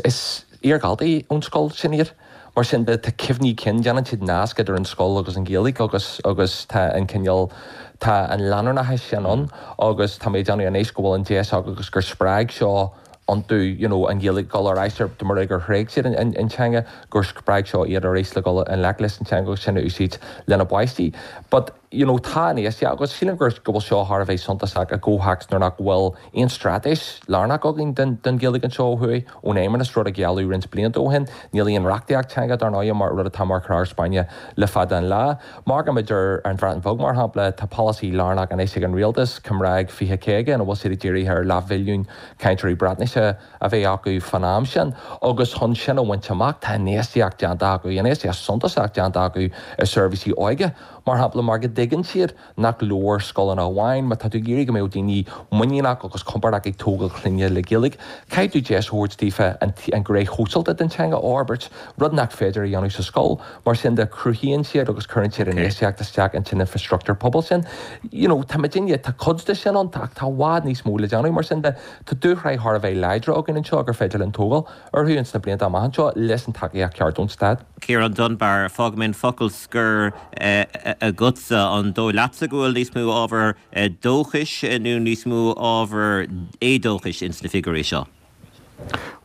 iardhaltaí ón scoil sin iad. Mar sin de, tá cuimhní cinn, déanann siad nasc idir an scoil agus an Ghaeilge agus agus tá an cineál, tá an leanúnachas sin ann agus tá mé ag déanamh anois go bhfuil an deis acu agus gur spreag seo iontu you know an Ghaeilge dul ar ais ar mar gur thréig siad an an teanga gur spreag seo iad arís le dul i ngleic leis an teanga agus sin a úsáid lena bpáistí. But you know tá an éasca agus sílim gur go bhfuil seo thar a bheith suntasach i gcomhthéacs nuair nach bhfuil aon straitéis lárnach againn don don Ghaeilge anseo ó thuaidh ón Fheidhmeannas, rud a gealladh roinnt blianta ó shin. Níl aon reachtaíocht teanga dar ndóigh mar rud atá mar chorr spairne le fada an lá. Má amharcaimid ar an Bhreatain Bheag, mar shampla, tá polasaí lárnach anois ag an rialtas, Cymraeg 2050, ina bhfuil siad ag dírithe ar leathmhilliún cainteoirí Breatnaise a bheith acu fán am sin agus chun sin a bhaint amach tá infheistíocht déanta acu, infheistíocht suntasach déanta acu i seirbhísí óige, mar shampla, mar go dtuigeann siad nach leor scoileanna amháin. Má tá tú ag iarraidh go mbeadh daoine muiníneach agus compordach ag tógáil clainne le Gaeilge, caithfidh tú deis a thabhairt daofa an ghné shóisialta den teanga a fhorbairt, rud nach féidir a dhéanamh sa scoil. Mar sin de, cruthaíonn siad agus cuireann siad infheistíocht isteach ins an infreastruchtúr pobail sin. You know, tá muidinne, tá cuid de sin ann ach tá i bhfad níos mó le déanamh. Mar sin de, tá dúshraith thar a bheith láidre againn anseo gur féidir linn tógáil orthu ins na blianta amach anseo leis an tacaíocht cheart ón stát. Ciarán Dunbar, fágfaidh mé an focal scoir agatsa. An dóigh leatsa go bhfuil níos mó ábhar dóchais nó níos mó ábhar éadóchais ins na figiúirí seo?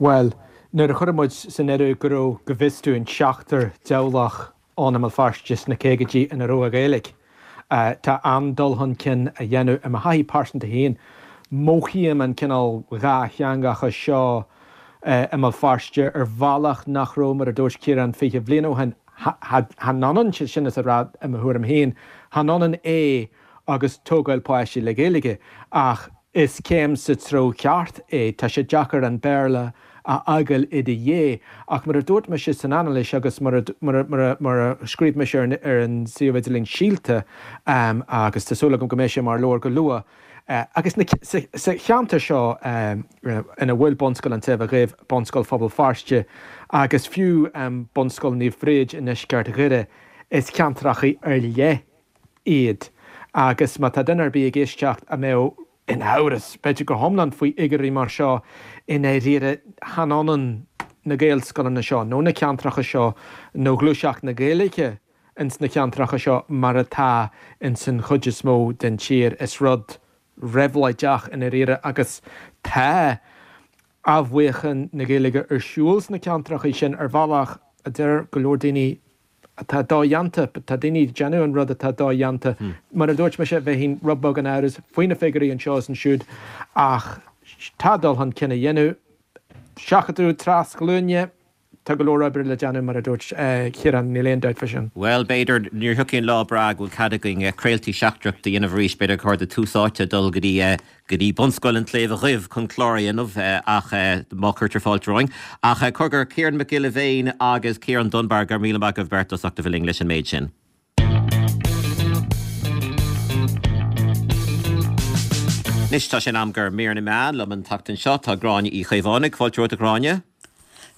Bhuel, nuair a chuireann muid san áireamh go raibh, go bhfios dúinn, seachtar dteaghlach ann i mBéal Feirste sna caogaidí ina raibh an Ghaeilge, tá an-dul chun cinn á dhéanamh. I mo thaithí pearsanta féin, mothaím an cineál dhátheangachas seo i mBéal Feirste ar bhealach nach raibh, mar a dúirt Ciarán, 20 bhliain ó shin. Chan ionann sin is a rá, i mo thuairim féin, chan ionann é agus tógáil páistí le Gaeilge, ach is céim sa treo ceart é. Tá sé deacair an Béarla a fhágáil i do dhiaidh, ach mar a dúirt mise san anailís agus mar a mar a scríobh mise ar an suíomh idirlín Síolta, agus tá súil agam go mbeidh sé mar leabhar go luath, agus sa cheantar seo ina bhfuil Bunscoil an tSléibhe Dhuibh, Bunscoil Phobal Feirste agus fiú Bunscoil Naomh Bríd i ndeisceart Dhoire, is ceantracha ar leith iad agus má tá duine ar bith ag éisteacht a mbeadh in amhras, b'fhéidir go hiomlán, faoi fhigiúirí mar seo, i ndáiríre chan ionann na Gaelscoileanna seo nó na ceantracha seo nó gluaiseacht na Gaeilge ins na ceantracha seo mar atá ins an chuid is mó den tír. Is rud réabhlóideach i ndáiríre agus tá athbheochan na Gaeilge ar siúl sna ceantracha sin ar bhealach a deir go leor daoine atá dodhéanta, tá daoine ag déanamh an rud atá dodhéanta. Mar a dúirt mise, bheinn rud beag in amhras faoi na figiúirí anseo is ansiúd ach tá dul chun cinn á dhéanamh. Seachadadh trasghlúine, tá go leor oibre le déanamh mar a dúirt Ciarán, níl aon dabht fá sin. Bhuel, b'fhéidir, nuair a thiocfaidh an lá breá go bhfuil cead againn craoltaí seachtrach a dhéanamh arís, b'fhéidir gur chóir do Tús Áite dul go dtí go dtí Bunscoil an tSléibhe Dhuibh chun clár a dhéanamh ach má chuirtear fáilte romhainn. Ach cogar, Ciarán Mac Giolla Bhéin agus Ciarán Dunbar, go raibh míle maith agaibh beirt as ucht a bheith linn leis an méid sin. Anois tá sé in am do Mhír na Meán liom an tseachtain seo. Tá Gráinne Uí Chaomhánaigh. Fáilte romhat a Ghráinne.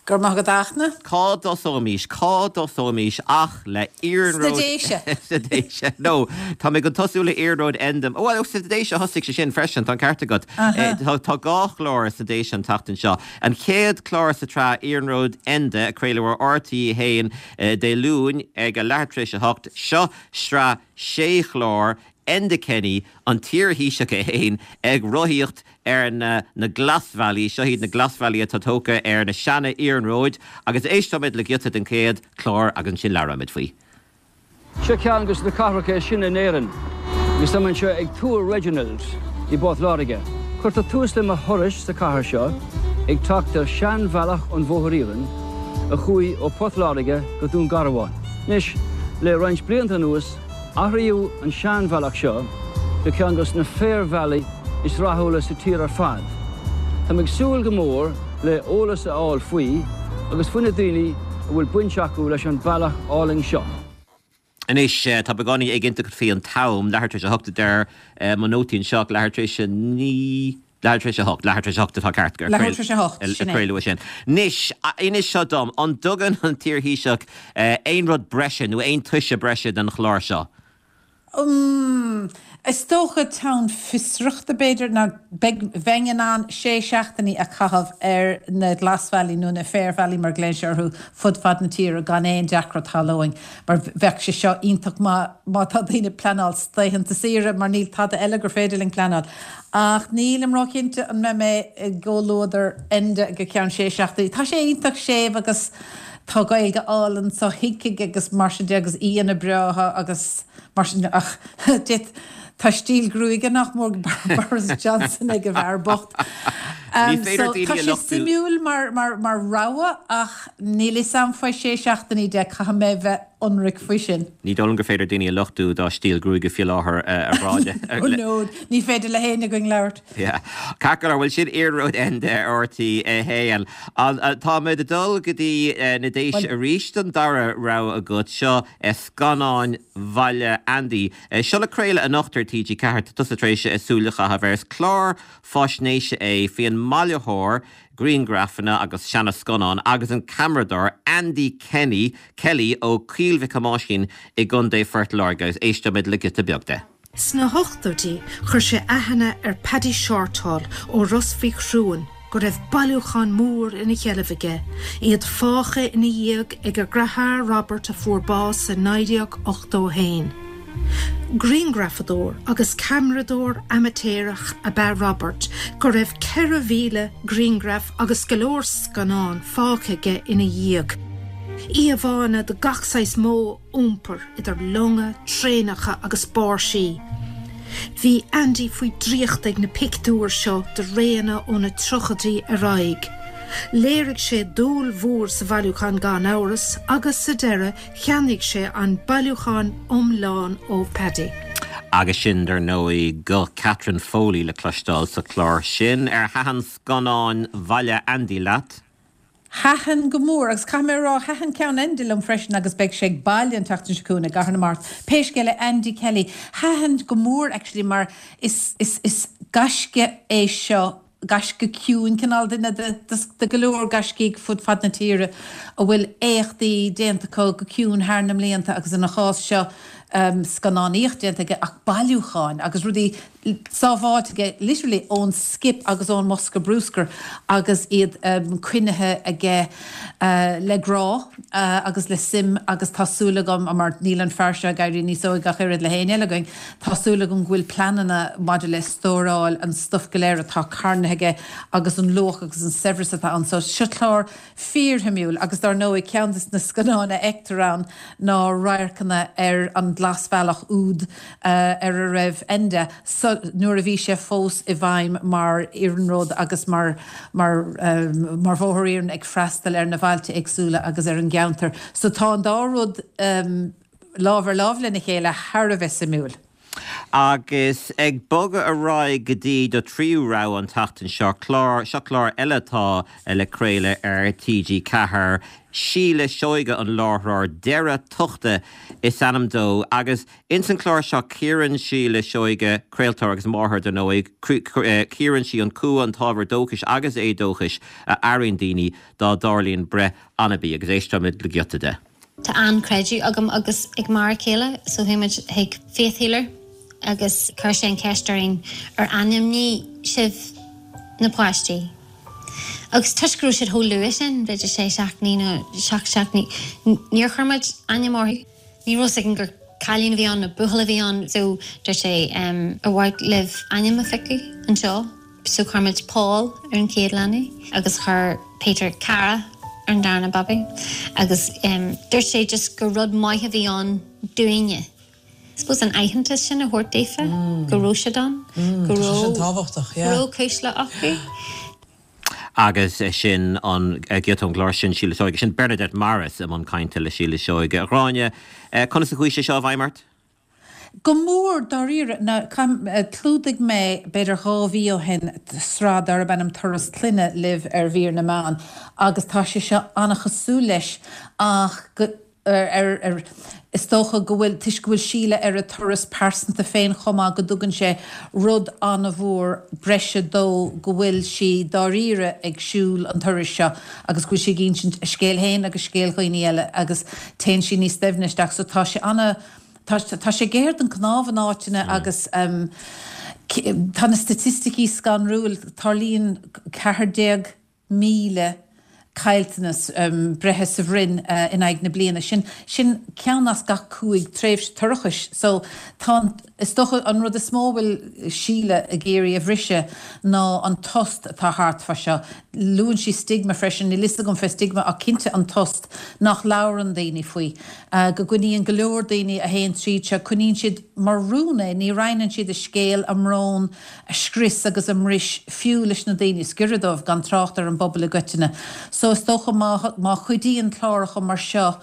Go raibh maith agat a Fhachtna. Cá dtosóimís? Cá dtosóimís ach le iarnród... Sna Déise! Sna Déise. No, tá mé chun tosú le Iarnród Enda. Bhuel, sna Déise a thosaigh sé sin freisin, tá an ceart agat. Tá dhá chlár sna Déise an tseachtain seo. An chéad chlár sa tsraith Iarnród Enda, a craoladh ar RTÉ 1 Dé Luain ag a leathuair tar éis a hocht. Seo sraith sé chlár, Enda Kenny, an t-iar-Thaoiseach é féin, ag rothaíocht ar na na glasbhealaí, seo iad na glasbhealaí atá tógtha ar na seana-iarnróid, agus éisteoimid le giota den chéad chlár agus ansin labhróimid faoi. Seo ceann de na cathracha is sine in Éirinn agus táim anseo ag Túr Reginald i bPort Láirge. Cuirtear tús le mo thuras sa chathair seo ag teacht ar seanbhealach an Bhóthair Iarainn a chuaigh ó Port Láirge go Dún Garbhán. Anois, le roinnt blianta anuas, Athraíodh an seanbhealach seo go ceann dos na féarbhealaí is rathúla sa tír ar fad. Táim ag súil go mór le eolas a fháil faoi agus faoi na daoine a bhfuil baint acu leis an bealach álainn seo. Anois, tá beagáinín éiginnteacht faoi an t-am, leathuair tar éis a hocht a deir mo nótaí anseo, ach leathuair tar éis a naoi. Leathuair tar éis a hocht, leathuair tar éis a hocht atá ceart gur Leathuair tar éis a hocht, sin é. craoladh sin. Anois, inis seo dom, an dtugann an t-iarThaoiseach aon rud breise nó aon toise breise don chlár seo? Umm, is dócha teann fiosrachta b'fhéidir, ná beidh, bheinn in ann sé seachtainí a chaitheamh ar na glasbhealaí nó na féarbhealaí mar a ghlaonn sé orthu fud fad na tíre gan aon deacracht shamhlóinn mar bheadh sé seo iontach maith má tá daoine ag pleanáil laethanta saoire mar níl tada eile gur féidir linn pleanáil. Ach nílim róchinnte an mbeidh mé i gcomhluadar Enda go ceann sé seachtainí. Tá sé iontach séimh agus Tá Gaeilge álainn sothuigthe aige agus mar sin de agus aíonna breátha agus mar sin de ach tá stíl gruaige nach mór Boris Johnson ag an bhfear bocht. Ní féidir So daoine tá a sé lochtú. suimiúil mar mar mar rogha ach níl fhios a'm faoi sé seachtainí de, caithfidh mé bheith ionraic faoi sin. Ní dóigh liom gur féidir daoine a lochtú dá stíl gruaige faoi láthair a Ghráinne. Oh no, ní féidir le héinne againn labhairt. Yeah. Ceart go leor, bhuel sin Iarnród Enda ar RTÉ 1. Táimid ag dul go dtí na Déise arís don dara rogha agat, seo Scannáin Bhaile Andy. Seo le craoladh anocht ar TG4, tá tusa tar éis súil a chaitheamh air. Is clár faisnéise é faoin mbailitheoir grianghrafanna agus seana-scannán agus an ceamaradóir Andy Kenny, Kelly ó Choill Mhic Thomáisín i gContae Phort Láirge agus éisteoimid le giota beag de. Sna hochtóidí chuir sé aithne ar Paddy Shortall ó Ros Mhic Thriúin go raibh bailiúchán mór ina sheilbh aige, iad fágtha ina dhiaidh ag a dheartháir Robert a fuair bás i 1981. Grianghrafadóir agus ceamaradóir amaitéarach ab ea Robert go raibh 4,000 grianghraf agus go leor scannán fágtha aige ina dhiaidh. Íomhánna de gach saghas modh iompair idir longa, traenacha agus báirsí. Bhí Andy faoi dhraíocht ag na pictiúir seo de réanna ó na tríochaidí ar aghaidh. Léirigh sé dúil mhór sa bhailiúchán gan amhras agus sa deireadh cheannaigh sé an bailiúchán iomlán ó Paddy. Agus sin, dar ndóigh, guth Catherine Foley le cloisteáil sa chlár sin. Ar thaitin Scannáin Bhaile Andy leat? Thaitin go mór, agus caithfidh mé a rá, thaitin ceann Enda liom freisin agus beidh sé ag baile an tseachtain seo chugainn i gCathair na Mart. Pé scéal é, Andy Kelly, thaitin go mór actually mar is, is, is gaisce é seo, gaisce ciúin, cineál duine de, de, de go leor gaiscígh fud fad na tíre a bhfuil éachtaí déanta acu go ciúin thar na mblianta agus ina chás seo, scannánaíocht déanta aige ach bailiúcháin agus rudaí sábháilte aige literally ón skip agus ón mbosca bruscair agus iad coinnithe aige le grá agus le suim agus tá súil agam, mar níl an fear seo ag éirí níos óige ach oiread le héinne eile againn, tá súil agam go bhfuil pleananna maidir le stóráil an stuif go léir atá carnaithe aige agus an luach agus an saibhreas atá ann. So seo clár fíorshuimiúil agus dar ndóigh ceann de na scannáin a fheictear ann ná radharcanna ar an Ghlasbhealach úd ar a raibh Enda nuair a bhí sé fós i bhfeidhm mar iarnród agus mar mar mar bhóthar iarainn ag freastal ar na bailte éagsúla agus ar an gceantar. So tá an dá rud lámh ar lámh lena chéile thar a bheith suimiúil. Agus ag bogadh ar aghaidh go dtí do thríú rogha an tseachtain seo, clár, seo clár eile atá le craoladh ar TG4. Síle Seoige an láithreoir, Deireadh Tochta is ainm dó agus ins an chlár seo cíorann Síle Seoige, craoltóir agus máthair dar ndóigh, cíorann sí an cumha, an t-ábhar dóchais agus éadóchais a airíonn daoine dá dtarlaíonn breith anabaí agus éisteoimid le giota de. Tá an-creideamh agam agus ag m'fhear céile so chuaigh muid chuig faith healer agus chuir sé an cheist orainn ar ainmnigh sibh na páistí? Agus toisc go raibh siad chomh luath sin, b'fhéidir sé seachtainí nó seacht seachtainí, níor chuir muid ainm orthu. Ní raibh 'fhios againn gur cailín a bhí ann nó buachaill a bhí ann so dúirt sé ar mhaith libh ainm a phiocadh anseo? So chuir muid Paul ar an chéad leanbh agus chuir Peter Cara ar an darna babaí agus dúirt sé just gur rud maith a bhí ann dúinne. I suppose an aitheantas sin a thabhairt daofa go raibh siad ann, go raibh, go raibh cuisle acu. Agus sin an giota ón gclár sin, Síle Seoige. Sin Bernadette Morris i mbun cainte le Síle Seoige. A Ghráinne, conas a chuaigh sé seo i bhfeidhm ort? Go mór, dáiríre. Now, chlúdaigh mé, b'fhéidir 2 mhí ó shin, sraith darb ainm Turas Clainne libh ar mhír na meán agus tá sé seo an-chosúil leis ach go. Ar, ar, is dócha go bhfuil, toisc go bhfuil Síle ar a turas pearsanta féin chomh maith, go dtugann sé rud an-mhór breise dó go bhfuil sí dáiríre ag siúl an turais seo agus go bhfuil sí ag insint a scéil féin agus scéal dhaoine eile agus téann sí níos doimhne isteach. So tá sé ana, tá, tá sé géar don cnámh in áiteanna agus tá na staitisticí scanrúil, tarlaíonn 14,000 caillteanas breithe sa bhroinn in aghaidh na bliana. Sin, sin ceann as gach 5 tréimhse toirchis. So tá an, is dócha an rud is mó a bhfuil Síle ag iarraidh a bhriseadh ná an tost atá thart fá seo. Luann sí stigma freisin, níl fhios agam fé stigma ach cinnte an tost nach labhrann daoine faoi. Go gcoinníonn go leor daoine a théann tríd seo, coinníonn siad mar rún é, ní roinneann siad a scéal, a mbrón, a scrios agus a mbris fiú leis na daoine is giorra dóibh, gan trácht ar an bpobal i gcoitinne. So is dócha má má chuidíonn cláracha mar seo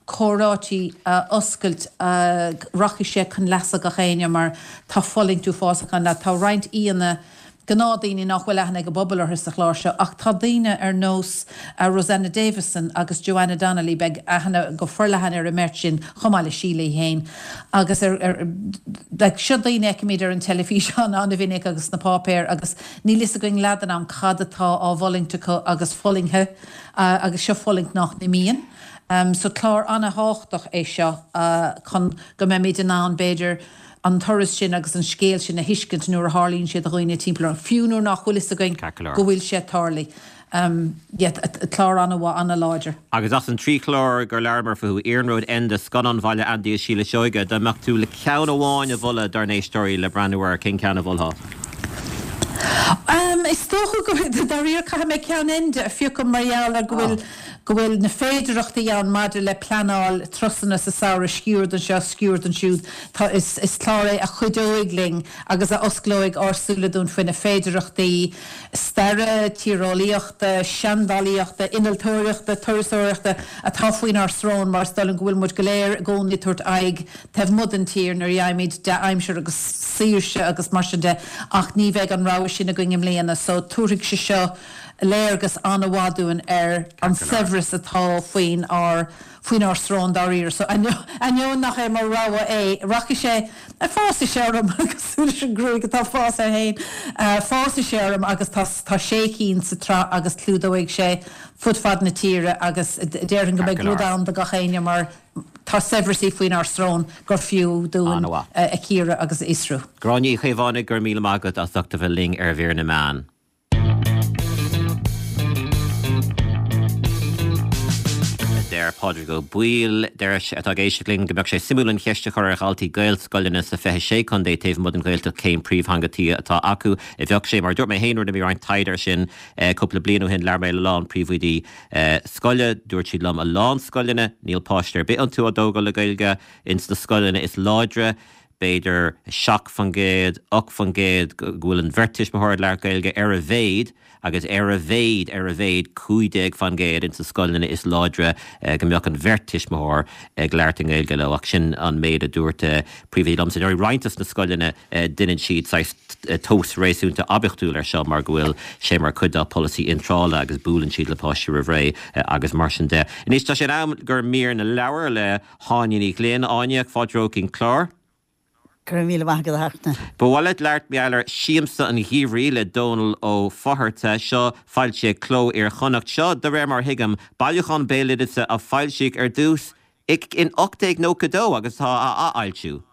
comhráití a oscailt rachaidh sé chun leasa gach éinne mar tá fulaingt uafásach ann. Tá roinnt aíonna, gnáthdaoine nach bhfuil aithne ag an bpobal orthu sa chlár seo ach tá daoine ar nós Rosanna Davison agus Joanna Donnelly, beidh aithne go forleathan ar an mbeirt sin chomh maith le Síle í féin. Agus ar, ar, like, seo daoine a fheicimid ar an teilifís an-mhinic agus sna páipéir agus níl fhios againn leath den am cad atá á bhfulaingt acu agus fulaingthe agus seo fulaingt nach n-imíonn. So clár an-thábhachtach é seo chun go mbeimid in ann b'fhéidir an turas sin agus an scéal sin a thuiscint nuair a tharlaíonn sé do dhaoine timpeall orainn, fiú nuair nach bhfuil fhios againn go bhfuil sé ag tarlú. Yeah, clár an-mhaith, an-láidir. Agus as an trí chlár gur labhramar fúthu, Iarnród Enda, Scannán Bhaile Andy is Síle Seoige, dá mbeadh tú le ceann amháin a mholadh dár n-éisteoirí le breathnú air, cén ceann a mholfá? Is dócha go, dáiríre, caithfidh mé ceann Enda a phiocadh mar gheall ar go bhfuil, go bhfuil na féidearthachtaí ann maidir le pleanáil turasanna sa samhradh, sciuird anseo, sciuird ansiúd. Tá, is, is clár é a chuideoidh linn agus a osclóidh ár súile dúinn faoi na féidearthachtaí staire, tíreolaíochta, seandálaíochta, innealtóireachta, turasóireachta atá faoinár srón mar is dóigh liom go bhfuil muid go léir i gcónaí ag tabhairt aghaidh taobh amuigh den tír nuair a fhaighimid dea-aimsir agus saoirse agus mar sin de ach ní bheidh an rogha sin againn i mbliana so tabharfaidh sé seo léargas an-mhaith dúinn ar an saibhreas atá faoin ár faoinár srón dáiríre. So ainneoin nach é mo rogha é, rachaidh sé, fásfaidh sé orm, cosúil leis an ghruaig atá ag fás air féin, fásfaidh sé orm agus tá tá sé cinn sa tsraith agus clúdóidh sé fud fad na tíre agus déarfainn go mbeidh rud ann do gach éinne mar tá saibhreas faoinár srón gur fiú dúinn a chíoradh agus a fhiosrú. Gráinne Uí Chaomhánaigh, go raibh míle maith agat as ucht a bheith linn ar Mhír na Meán. Deir Pádraig Ó Baoill, deir sé, atá ag éisteacht linn, go mbeadh sé suimiúil an cheist a chur ar dhaltaí Gaelscoileanna sa 26 contae taobh amuigh den Ghaeltacht cén príomhtheanga tí atá acu. Bheadh sé, mar a dúirt mé féin, rinne mé roinnt taighde air sin cúpla bliain ó shin, labhair mé le a lán príomhoidí scoile, dúirt siad liom a lán scoileanna, níl páiste ar bith iontu á dtógáil le Gaeilge, ins na scoileanna is láidre, b'fhéidir 7%, 8% go bhfuil an bheirt tuismitheoir ag labhairt Gaeilge ar a mhéad agus ar a mhéad, ar a mhéad 15% ins na scoileanna is láidre go mbeadh an bheirt tuismitheoir ag labhairt i nGaeilge leo ach sin an méid a dúirt príomhoidí liomsa. Ar roinnt dos na scoileanna deineann siad saghas tomhas réasúnta oibiachtúil ar seo mar go bhfuil sé mar chuid dá polasaí iontrála agus buaileann siad le páistí roimh ré agus mar sin de. Anois tá sé in am gur mír na leabhar le hÁine Ní Ghlinn, Áine, fáilte romhat chuig an clár. Go raibh míle maith agat a Fhachtna. Ba mhaith leat labhairt mar gheall ar Siamsa an Gheimhridh le Dónal Ó Fátharta. Seo foilsithe ag Cló Iar-Chonnacht. Seo, de réir mar a thuigim, bailiúchán béaloideasa a foilsíodh ar dtús in 1892 agus atá á athfhoilsiú.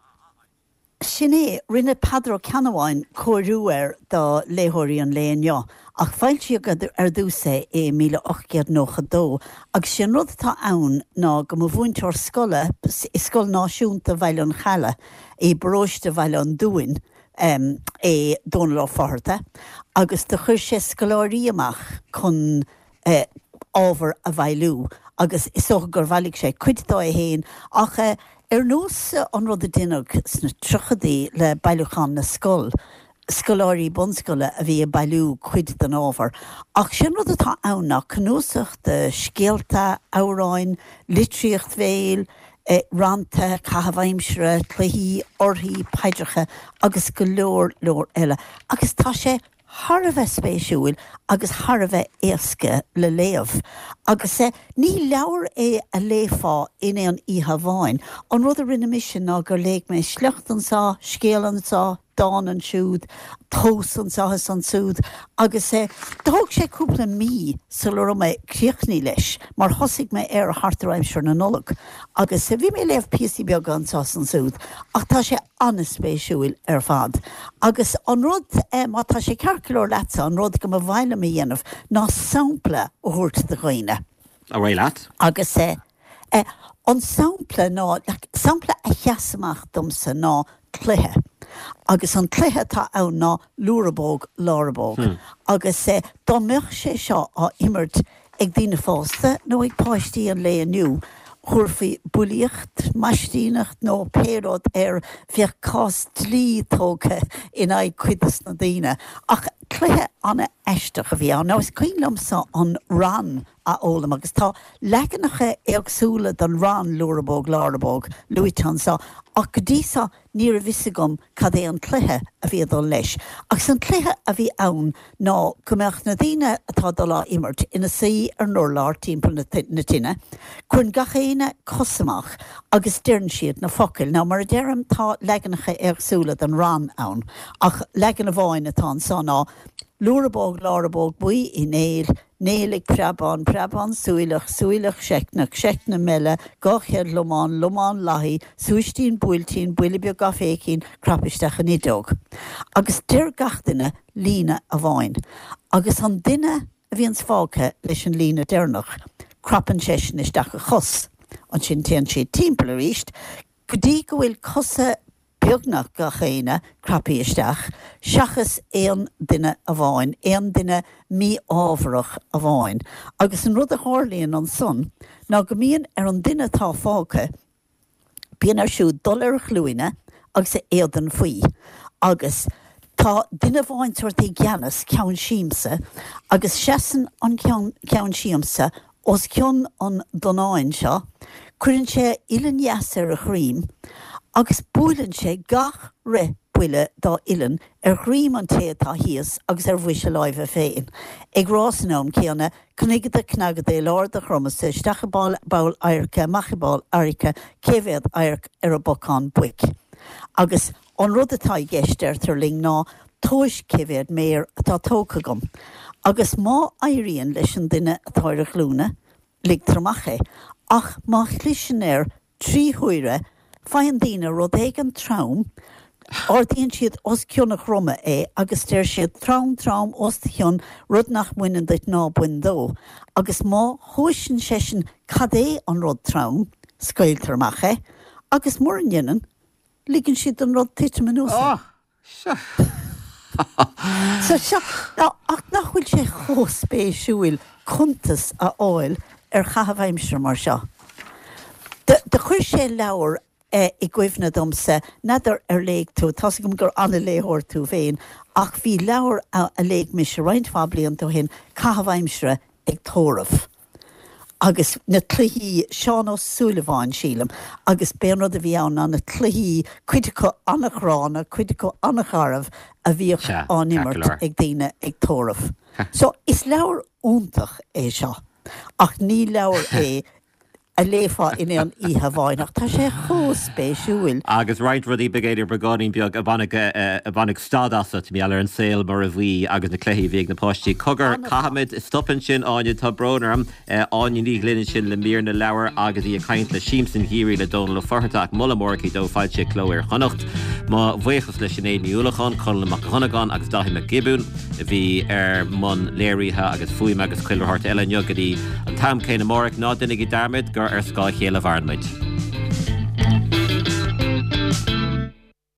Sin é, rinne Peadar Ó Ceannabháin cóiriú air do léitheoirí an lae inniu, ach foilsíodh ar dtús é i 1892, agus sé an rud atá ann ná go mba mhúinteoir scoile i Scoil Náisiúnta Bhaile an Chalaidh i bparóiste Bhaile an Dúin é Dónal Ó Fátharta, agus do chuir sé scoláirí amach chun ábhar a bhailiú agus is dócha gur bhailigh sé cuid dó é féin ach ar nós an rud a deineadh sna tríochadaí le Bailiúchán na Scol, scoláirí bunscoile a bhí ag bailiú cuid den ábhar. Ach sé an rud atá ann ná cnuasach de scéalta, amhráin, litríocht bhéil, rannta, caitheamh aimsire, cluichí, orthaí, paidreacha agus go leor leor eile. Agus tá sé. thar a bheith spéisiúil agus thar a bheith éasca le léamh. Agus ní leabhar é a léifeá in aon oíche amháin. An rud a rinne mise ná gur léigh mé sliocht anso, scéal anso, dán ansiúd, tomhas anso is ansúd agus thóg sé cúpla mí sula raibh mé críochnaithe leis mar thosaigh mé air thart ar aimsir na Nollag agus bhí mé ag léamh píosaí beaga anso is ansúd ach tá sé an-spéisiúil ar fad. Agus an rud, má tá sé ceart go leor leatsa, an rud go mba mhaith liom a dhéanamh ná sampla a thabhairt do dhaoine. Ar aghaidh leat. Agus an sampla ná, sampla a sheas amach domsa ná cluiche. Agus an cluiche atá ann ná Lúrabóg Lárabóg. Agus dá mbeadh sé seo á imirt ag daoine fásta nó ag páistí an lae inniu, thabharfaí bulaíocht, maistíneacht nó pé rud air, bheadh cás dlí tógtha in aghaidh cuid dos na daoine. Ach cluiche an-aisteach a bhí ann. Now is cuimhin liomsa an rann a fhoghlaim agus tá leaganacha éagsúla den rann Lúrabóg Lárabóg luaite anso ach go dtí so ní raibh fhios agam cad é an cluiche a bhí ag dul leis. Agus an cluiche a bhí ann ná go mbeadh na daoine atá ag dul á imirt ina suí ar an urlár timpeall na tine, cuireann gach éinne cos amach agus deireann siad na focail. Now mar a deirim tá leaganacha éagsúla den rann ann ach leagan amháin atá anso ná Lúrabóg Lárabóg Buí Uí Néill, Néill ag preabán, preabán súileach, súileach seicneach, seicne meile, 200 lomán, lomán lathaí, súistín buailtín, buille beag gá féichín, crap isteach in fhideog. Agus deir gach duine líne amháin. Agus an duine a bhíonns fágtha leis an líne deireanach, crapann seisean isteach a chos. Ansin téann siad timpeall arís go dtí go bhfuil cosa beagnach gach éinne craptha isteach, seachas aon duine amháin, aon duine mí-ámharach amháin. Agus an rud a tharlaíonn ansan ná go mbíonn ar an duine atá fágtha, bíonn air siúd dul ar a ghlúine agus a éadan faoi. Agus tá duine amháin sórt i gceannas, ceann siamsa, agus seasann an ceann siamsa Os cionn an donnáin seo, cuireann sé a uillinn dheas ar a dhroim agus buaileann sé gach re buille dá uillinn ar dhroim an té atá thíos agus ar bhois a láimhe féin, ag rá san am céanna, Cnigada cnagada i lár do dhromasa, isteach i bpoll adhairce, amach i bpoll adhairce, cé mhéad adharc ar an bpocán buic? Agus. An rud atá i gceist, deirtear linn, ná tomhais cé mhéad méar atá tógtha agam. Agus má éiríonn leis an duine atá ar a ghlúine, ligtear amach é. Ach má chliseann air 3 huaire, faigheann daoine rud éigin trom, ardaíonn siad os cionn a dhroma é agus deir siad, trom, trom, os do chionn, rud nach mbaineann duit ná bain dó. Agus má thomhaiseann seisean cad é an rud trom, scaoiltear amach é. Agus mura ndéanann, Ligeann siad don rud titim anuas air. So seo, ach nach bhfuil sé chomh spéisiúil cuntas a fháil ar chaitheamh aimsire mar seo. Do chuir sé leabhar i gcuimhne domsa, n'fheadar ar léigh tú, tá's agam gur an-léitheoir tú féin, ach bhí leabhar a léigh mise roinnt mhaith blianta ó shin, Caitheamh Aimsire ag Tórramh. Agus na cluichí, Seán Ó Súilleabháin, sílim, agus b'é an rud a bhí ann ná na cluichí, cuid acu an-ghránna, cuid acu an-gharbh, a bhíodh Sea, á ceart go n-imirt leor. ag daoine ag tórramh. So, is leabhar iontach é seo, ach ní leabhar é a léifeá in aon oíche amháin, ach tá sé chomh spéisiúil. Agus roinnt rudaí b'fhéidir beagáinín beag a bhainfeadh a bhainfeadh stad asat, mar gheall ar an saol mar a bhí agus na cluichí a bhí ag na páistí. Cogar, caithfimid stop ansin, Áine, tá brón orm. Áine Ní Ghlinn ansin le mír na leabhar agus í ag caint le Siamsa an Gheimhridh le Dónal Ó Fátharta ach moladh mór aici dó foilsithe Cló Iar-Chonnacht. Mo bhuíochas le Sinéad Ní Uallacháin, Conall Mac Dhonnagáin agus Dáithí Mac Giobúin. a bhí ar mbun léirithe agus fuaime agus chuile shórt eile inniu go dtí an t-am céanna amárach. Ná déanaigí dearmad gur ar scáth a chéile a mhaireann muid.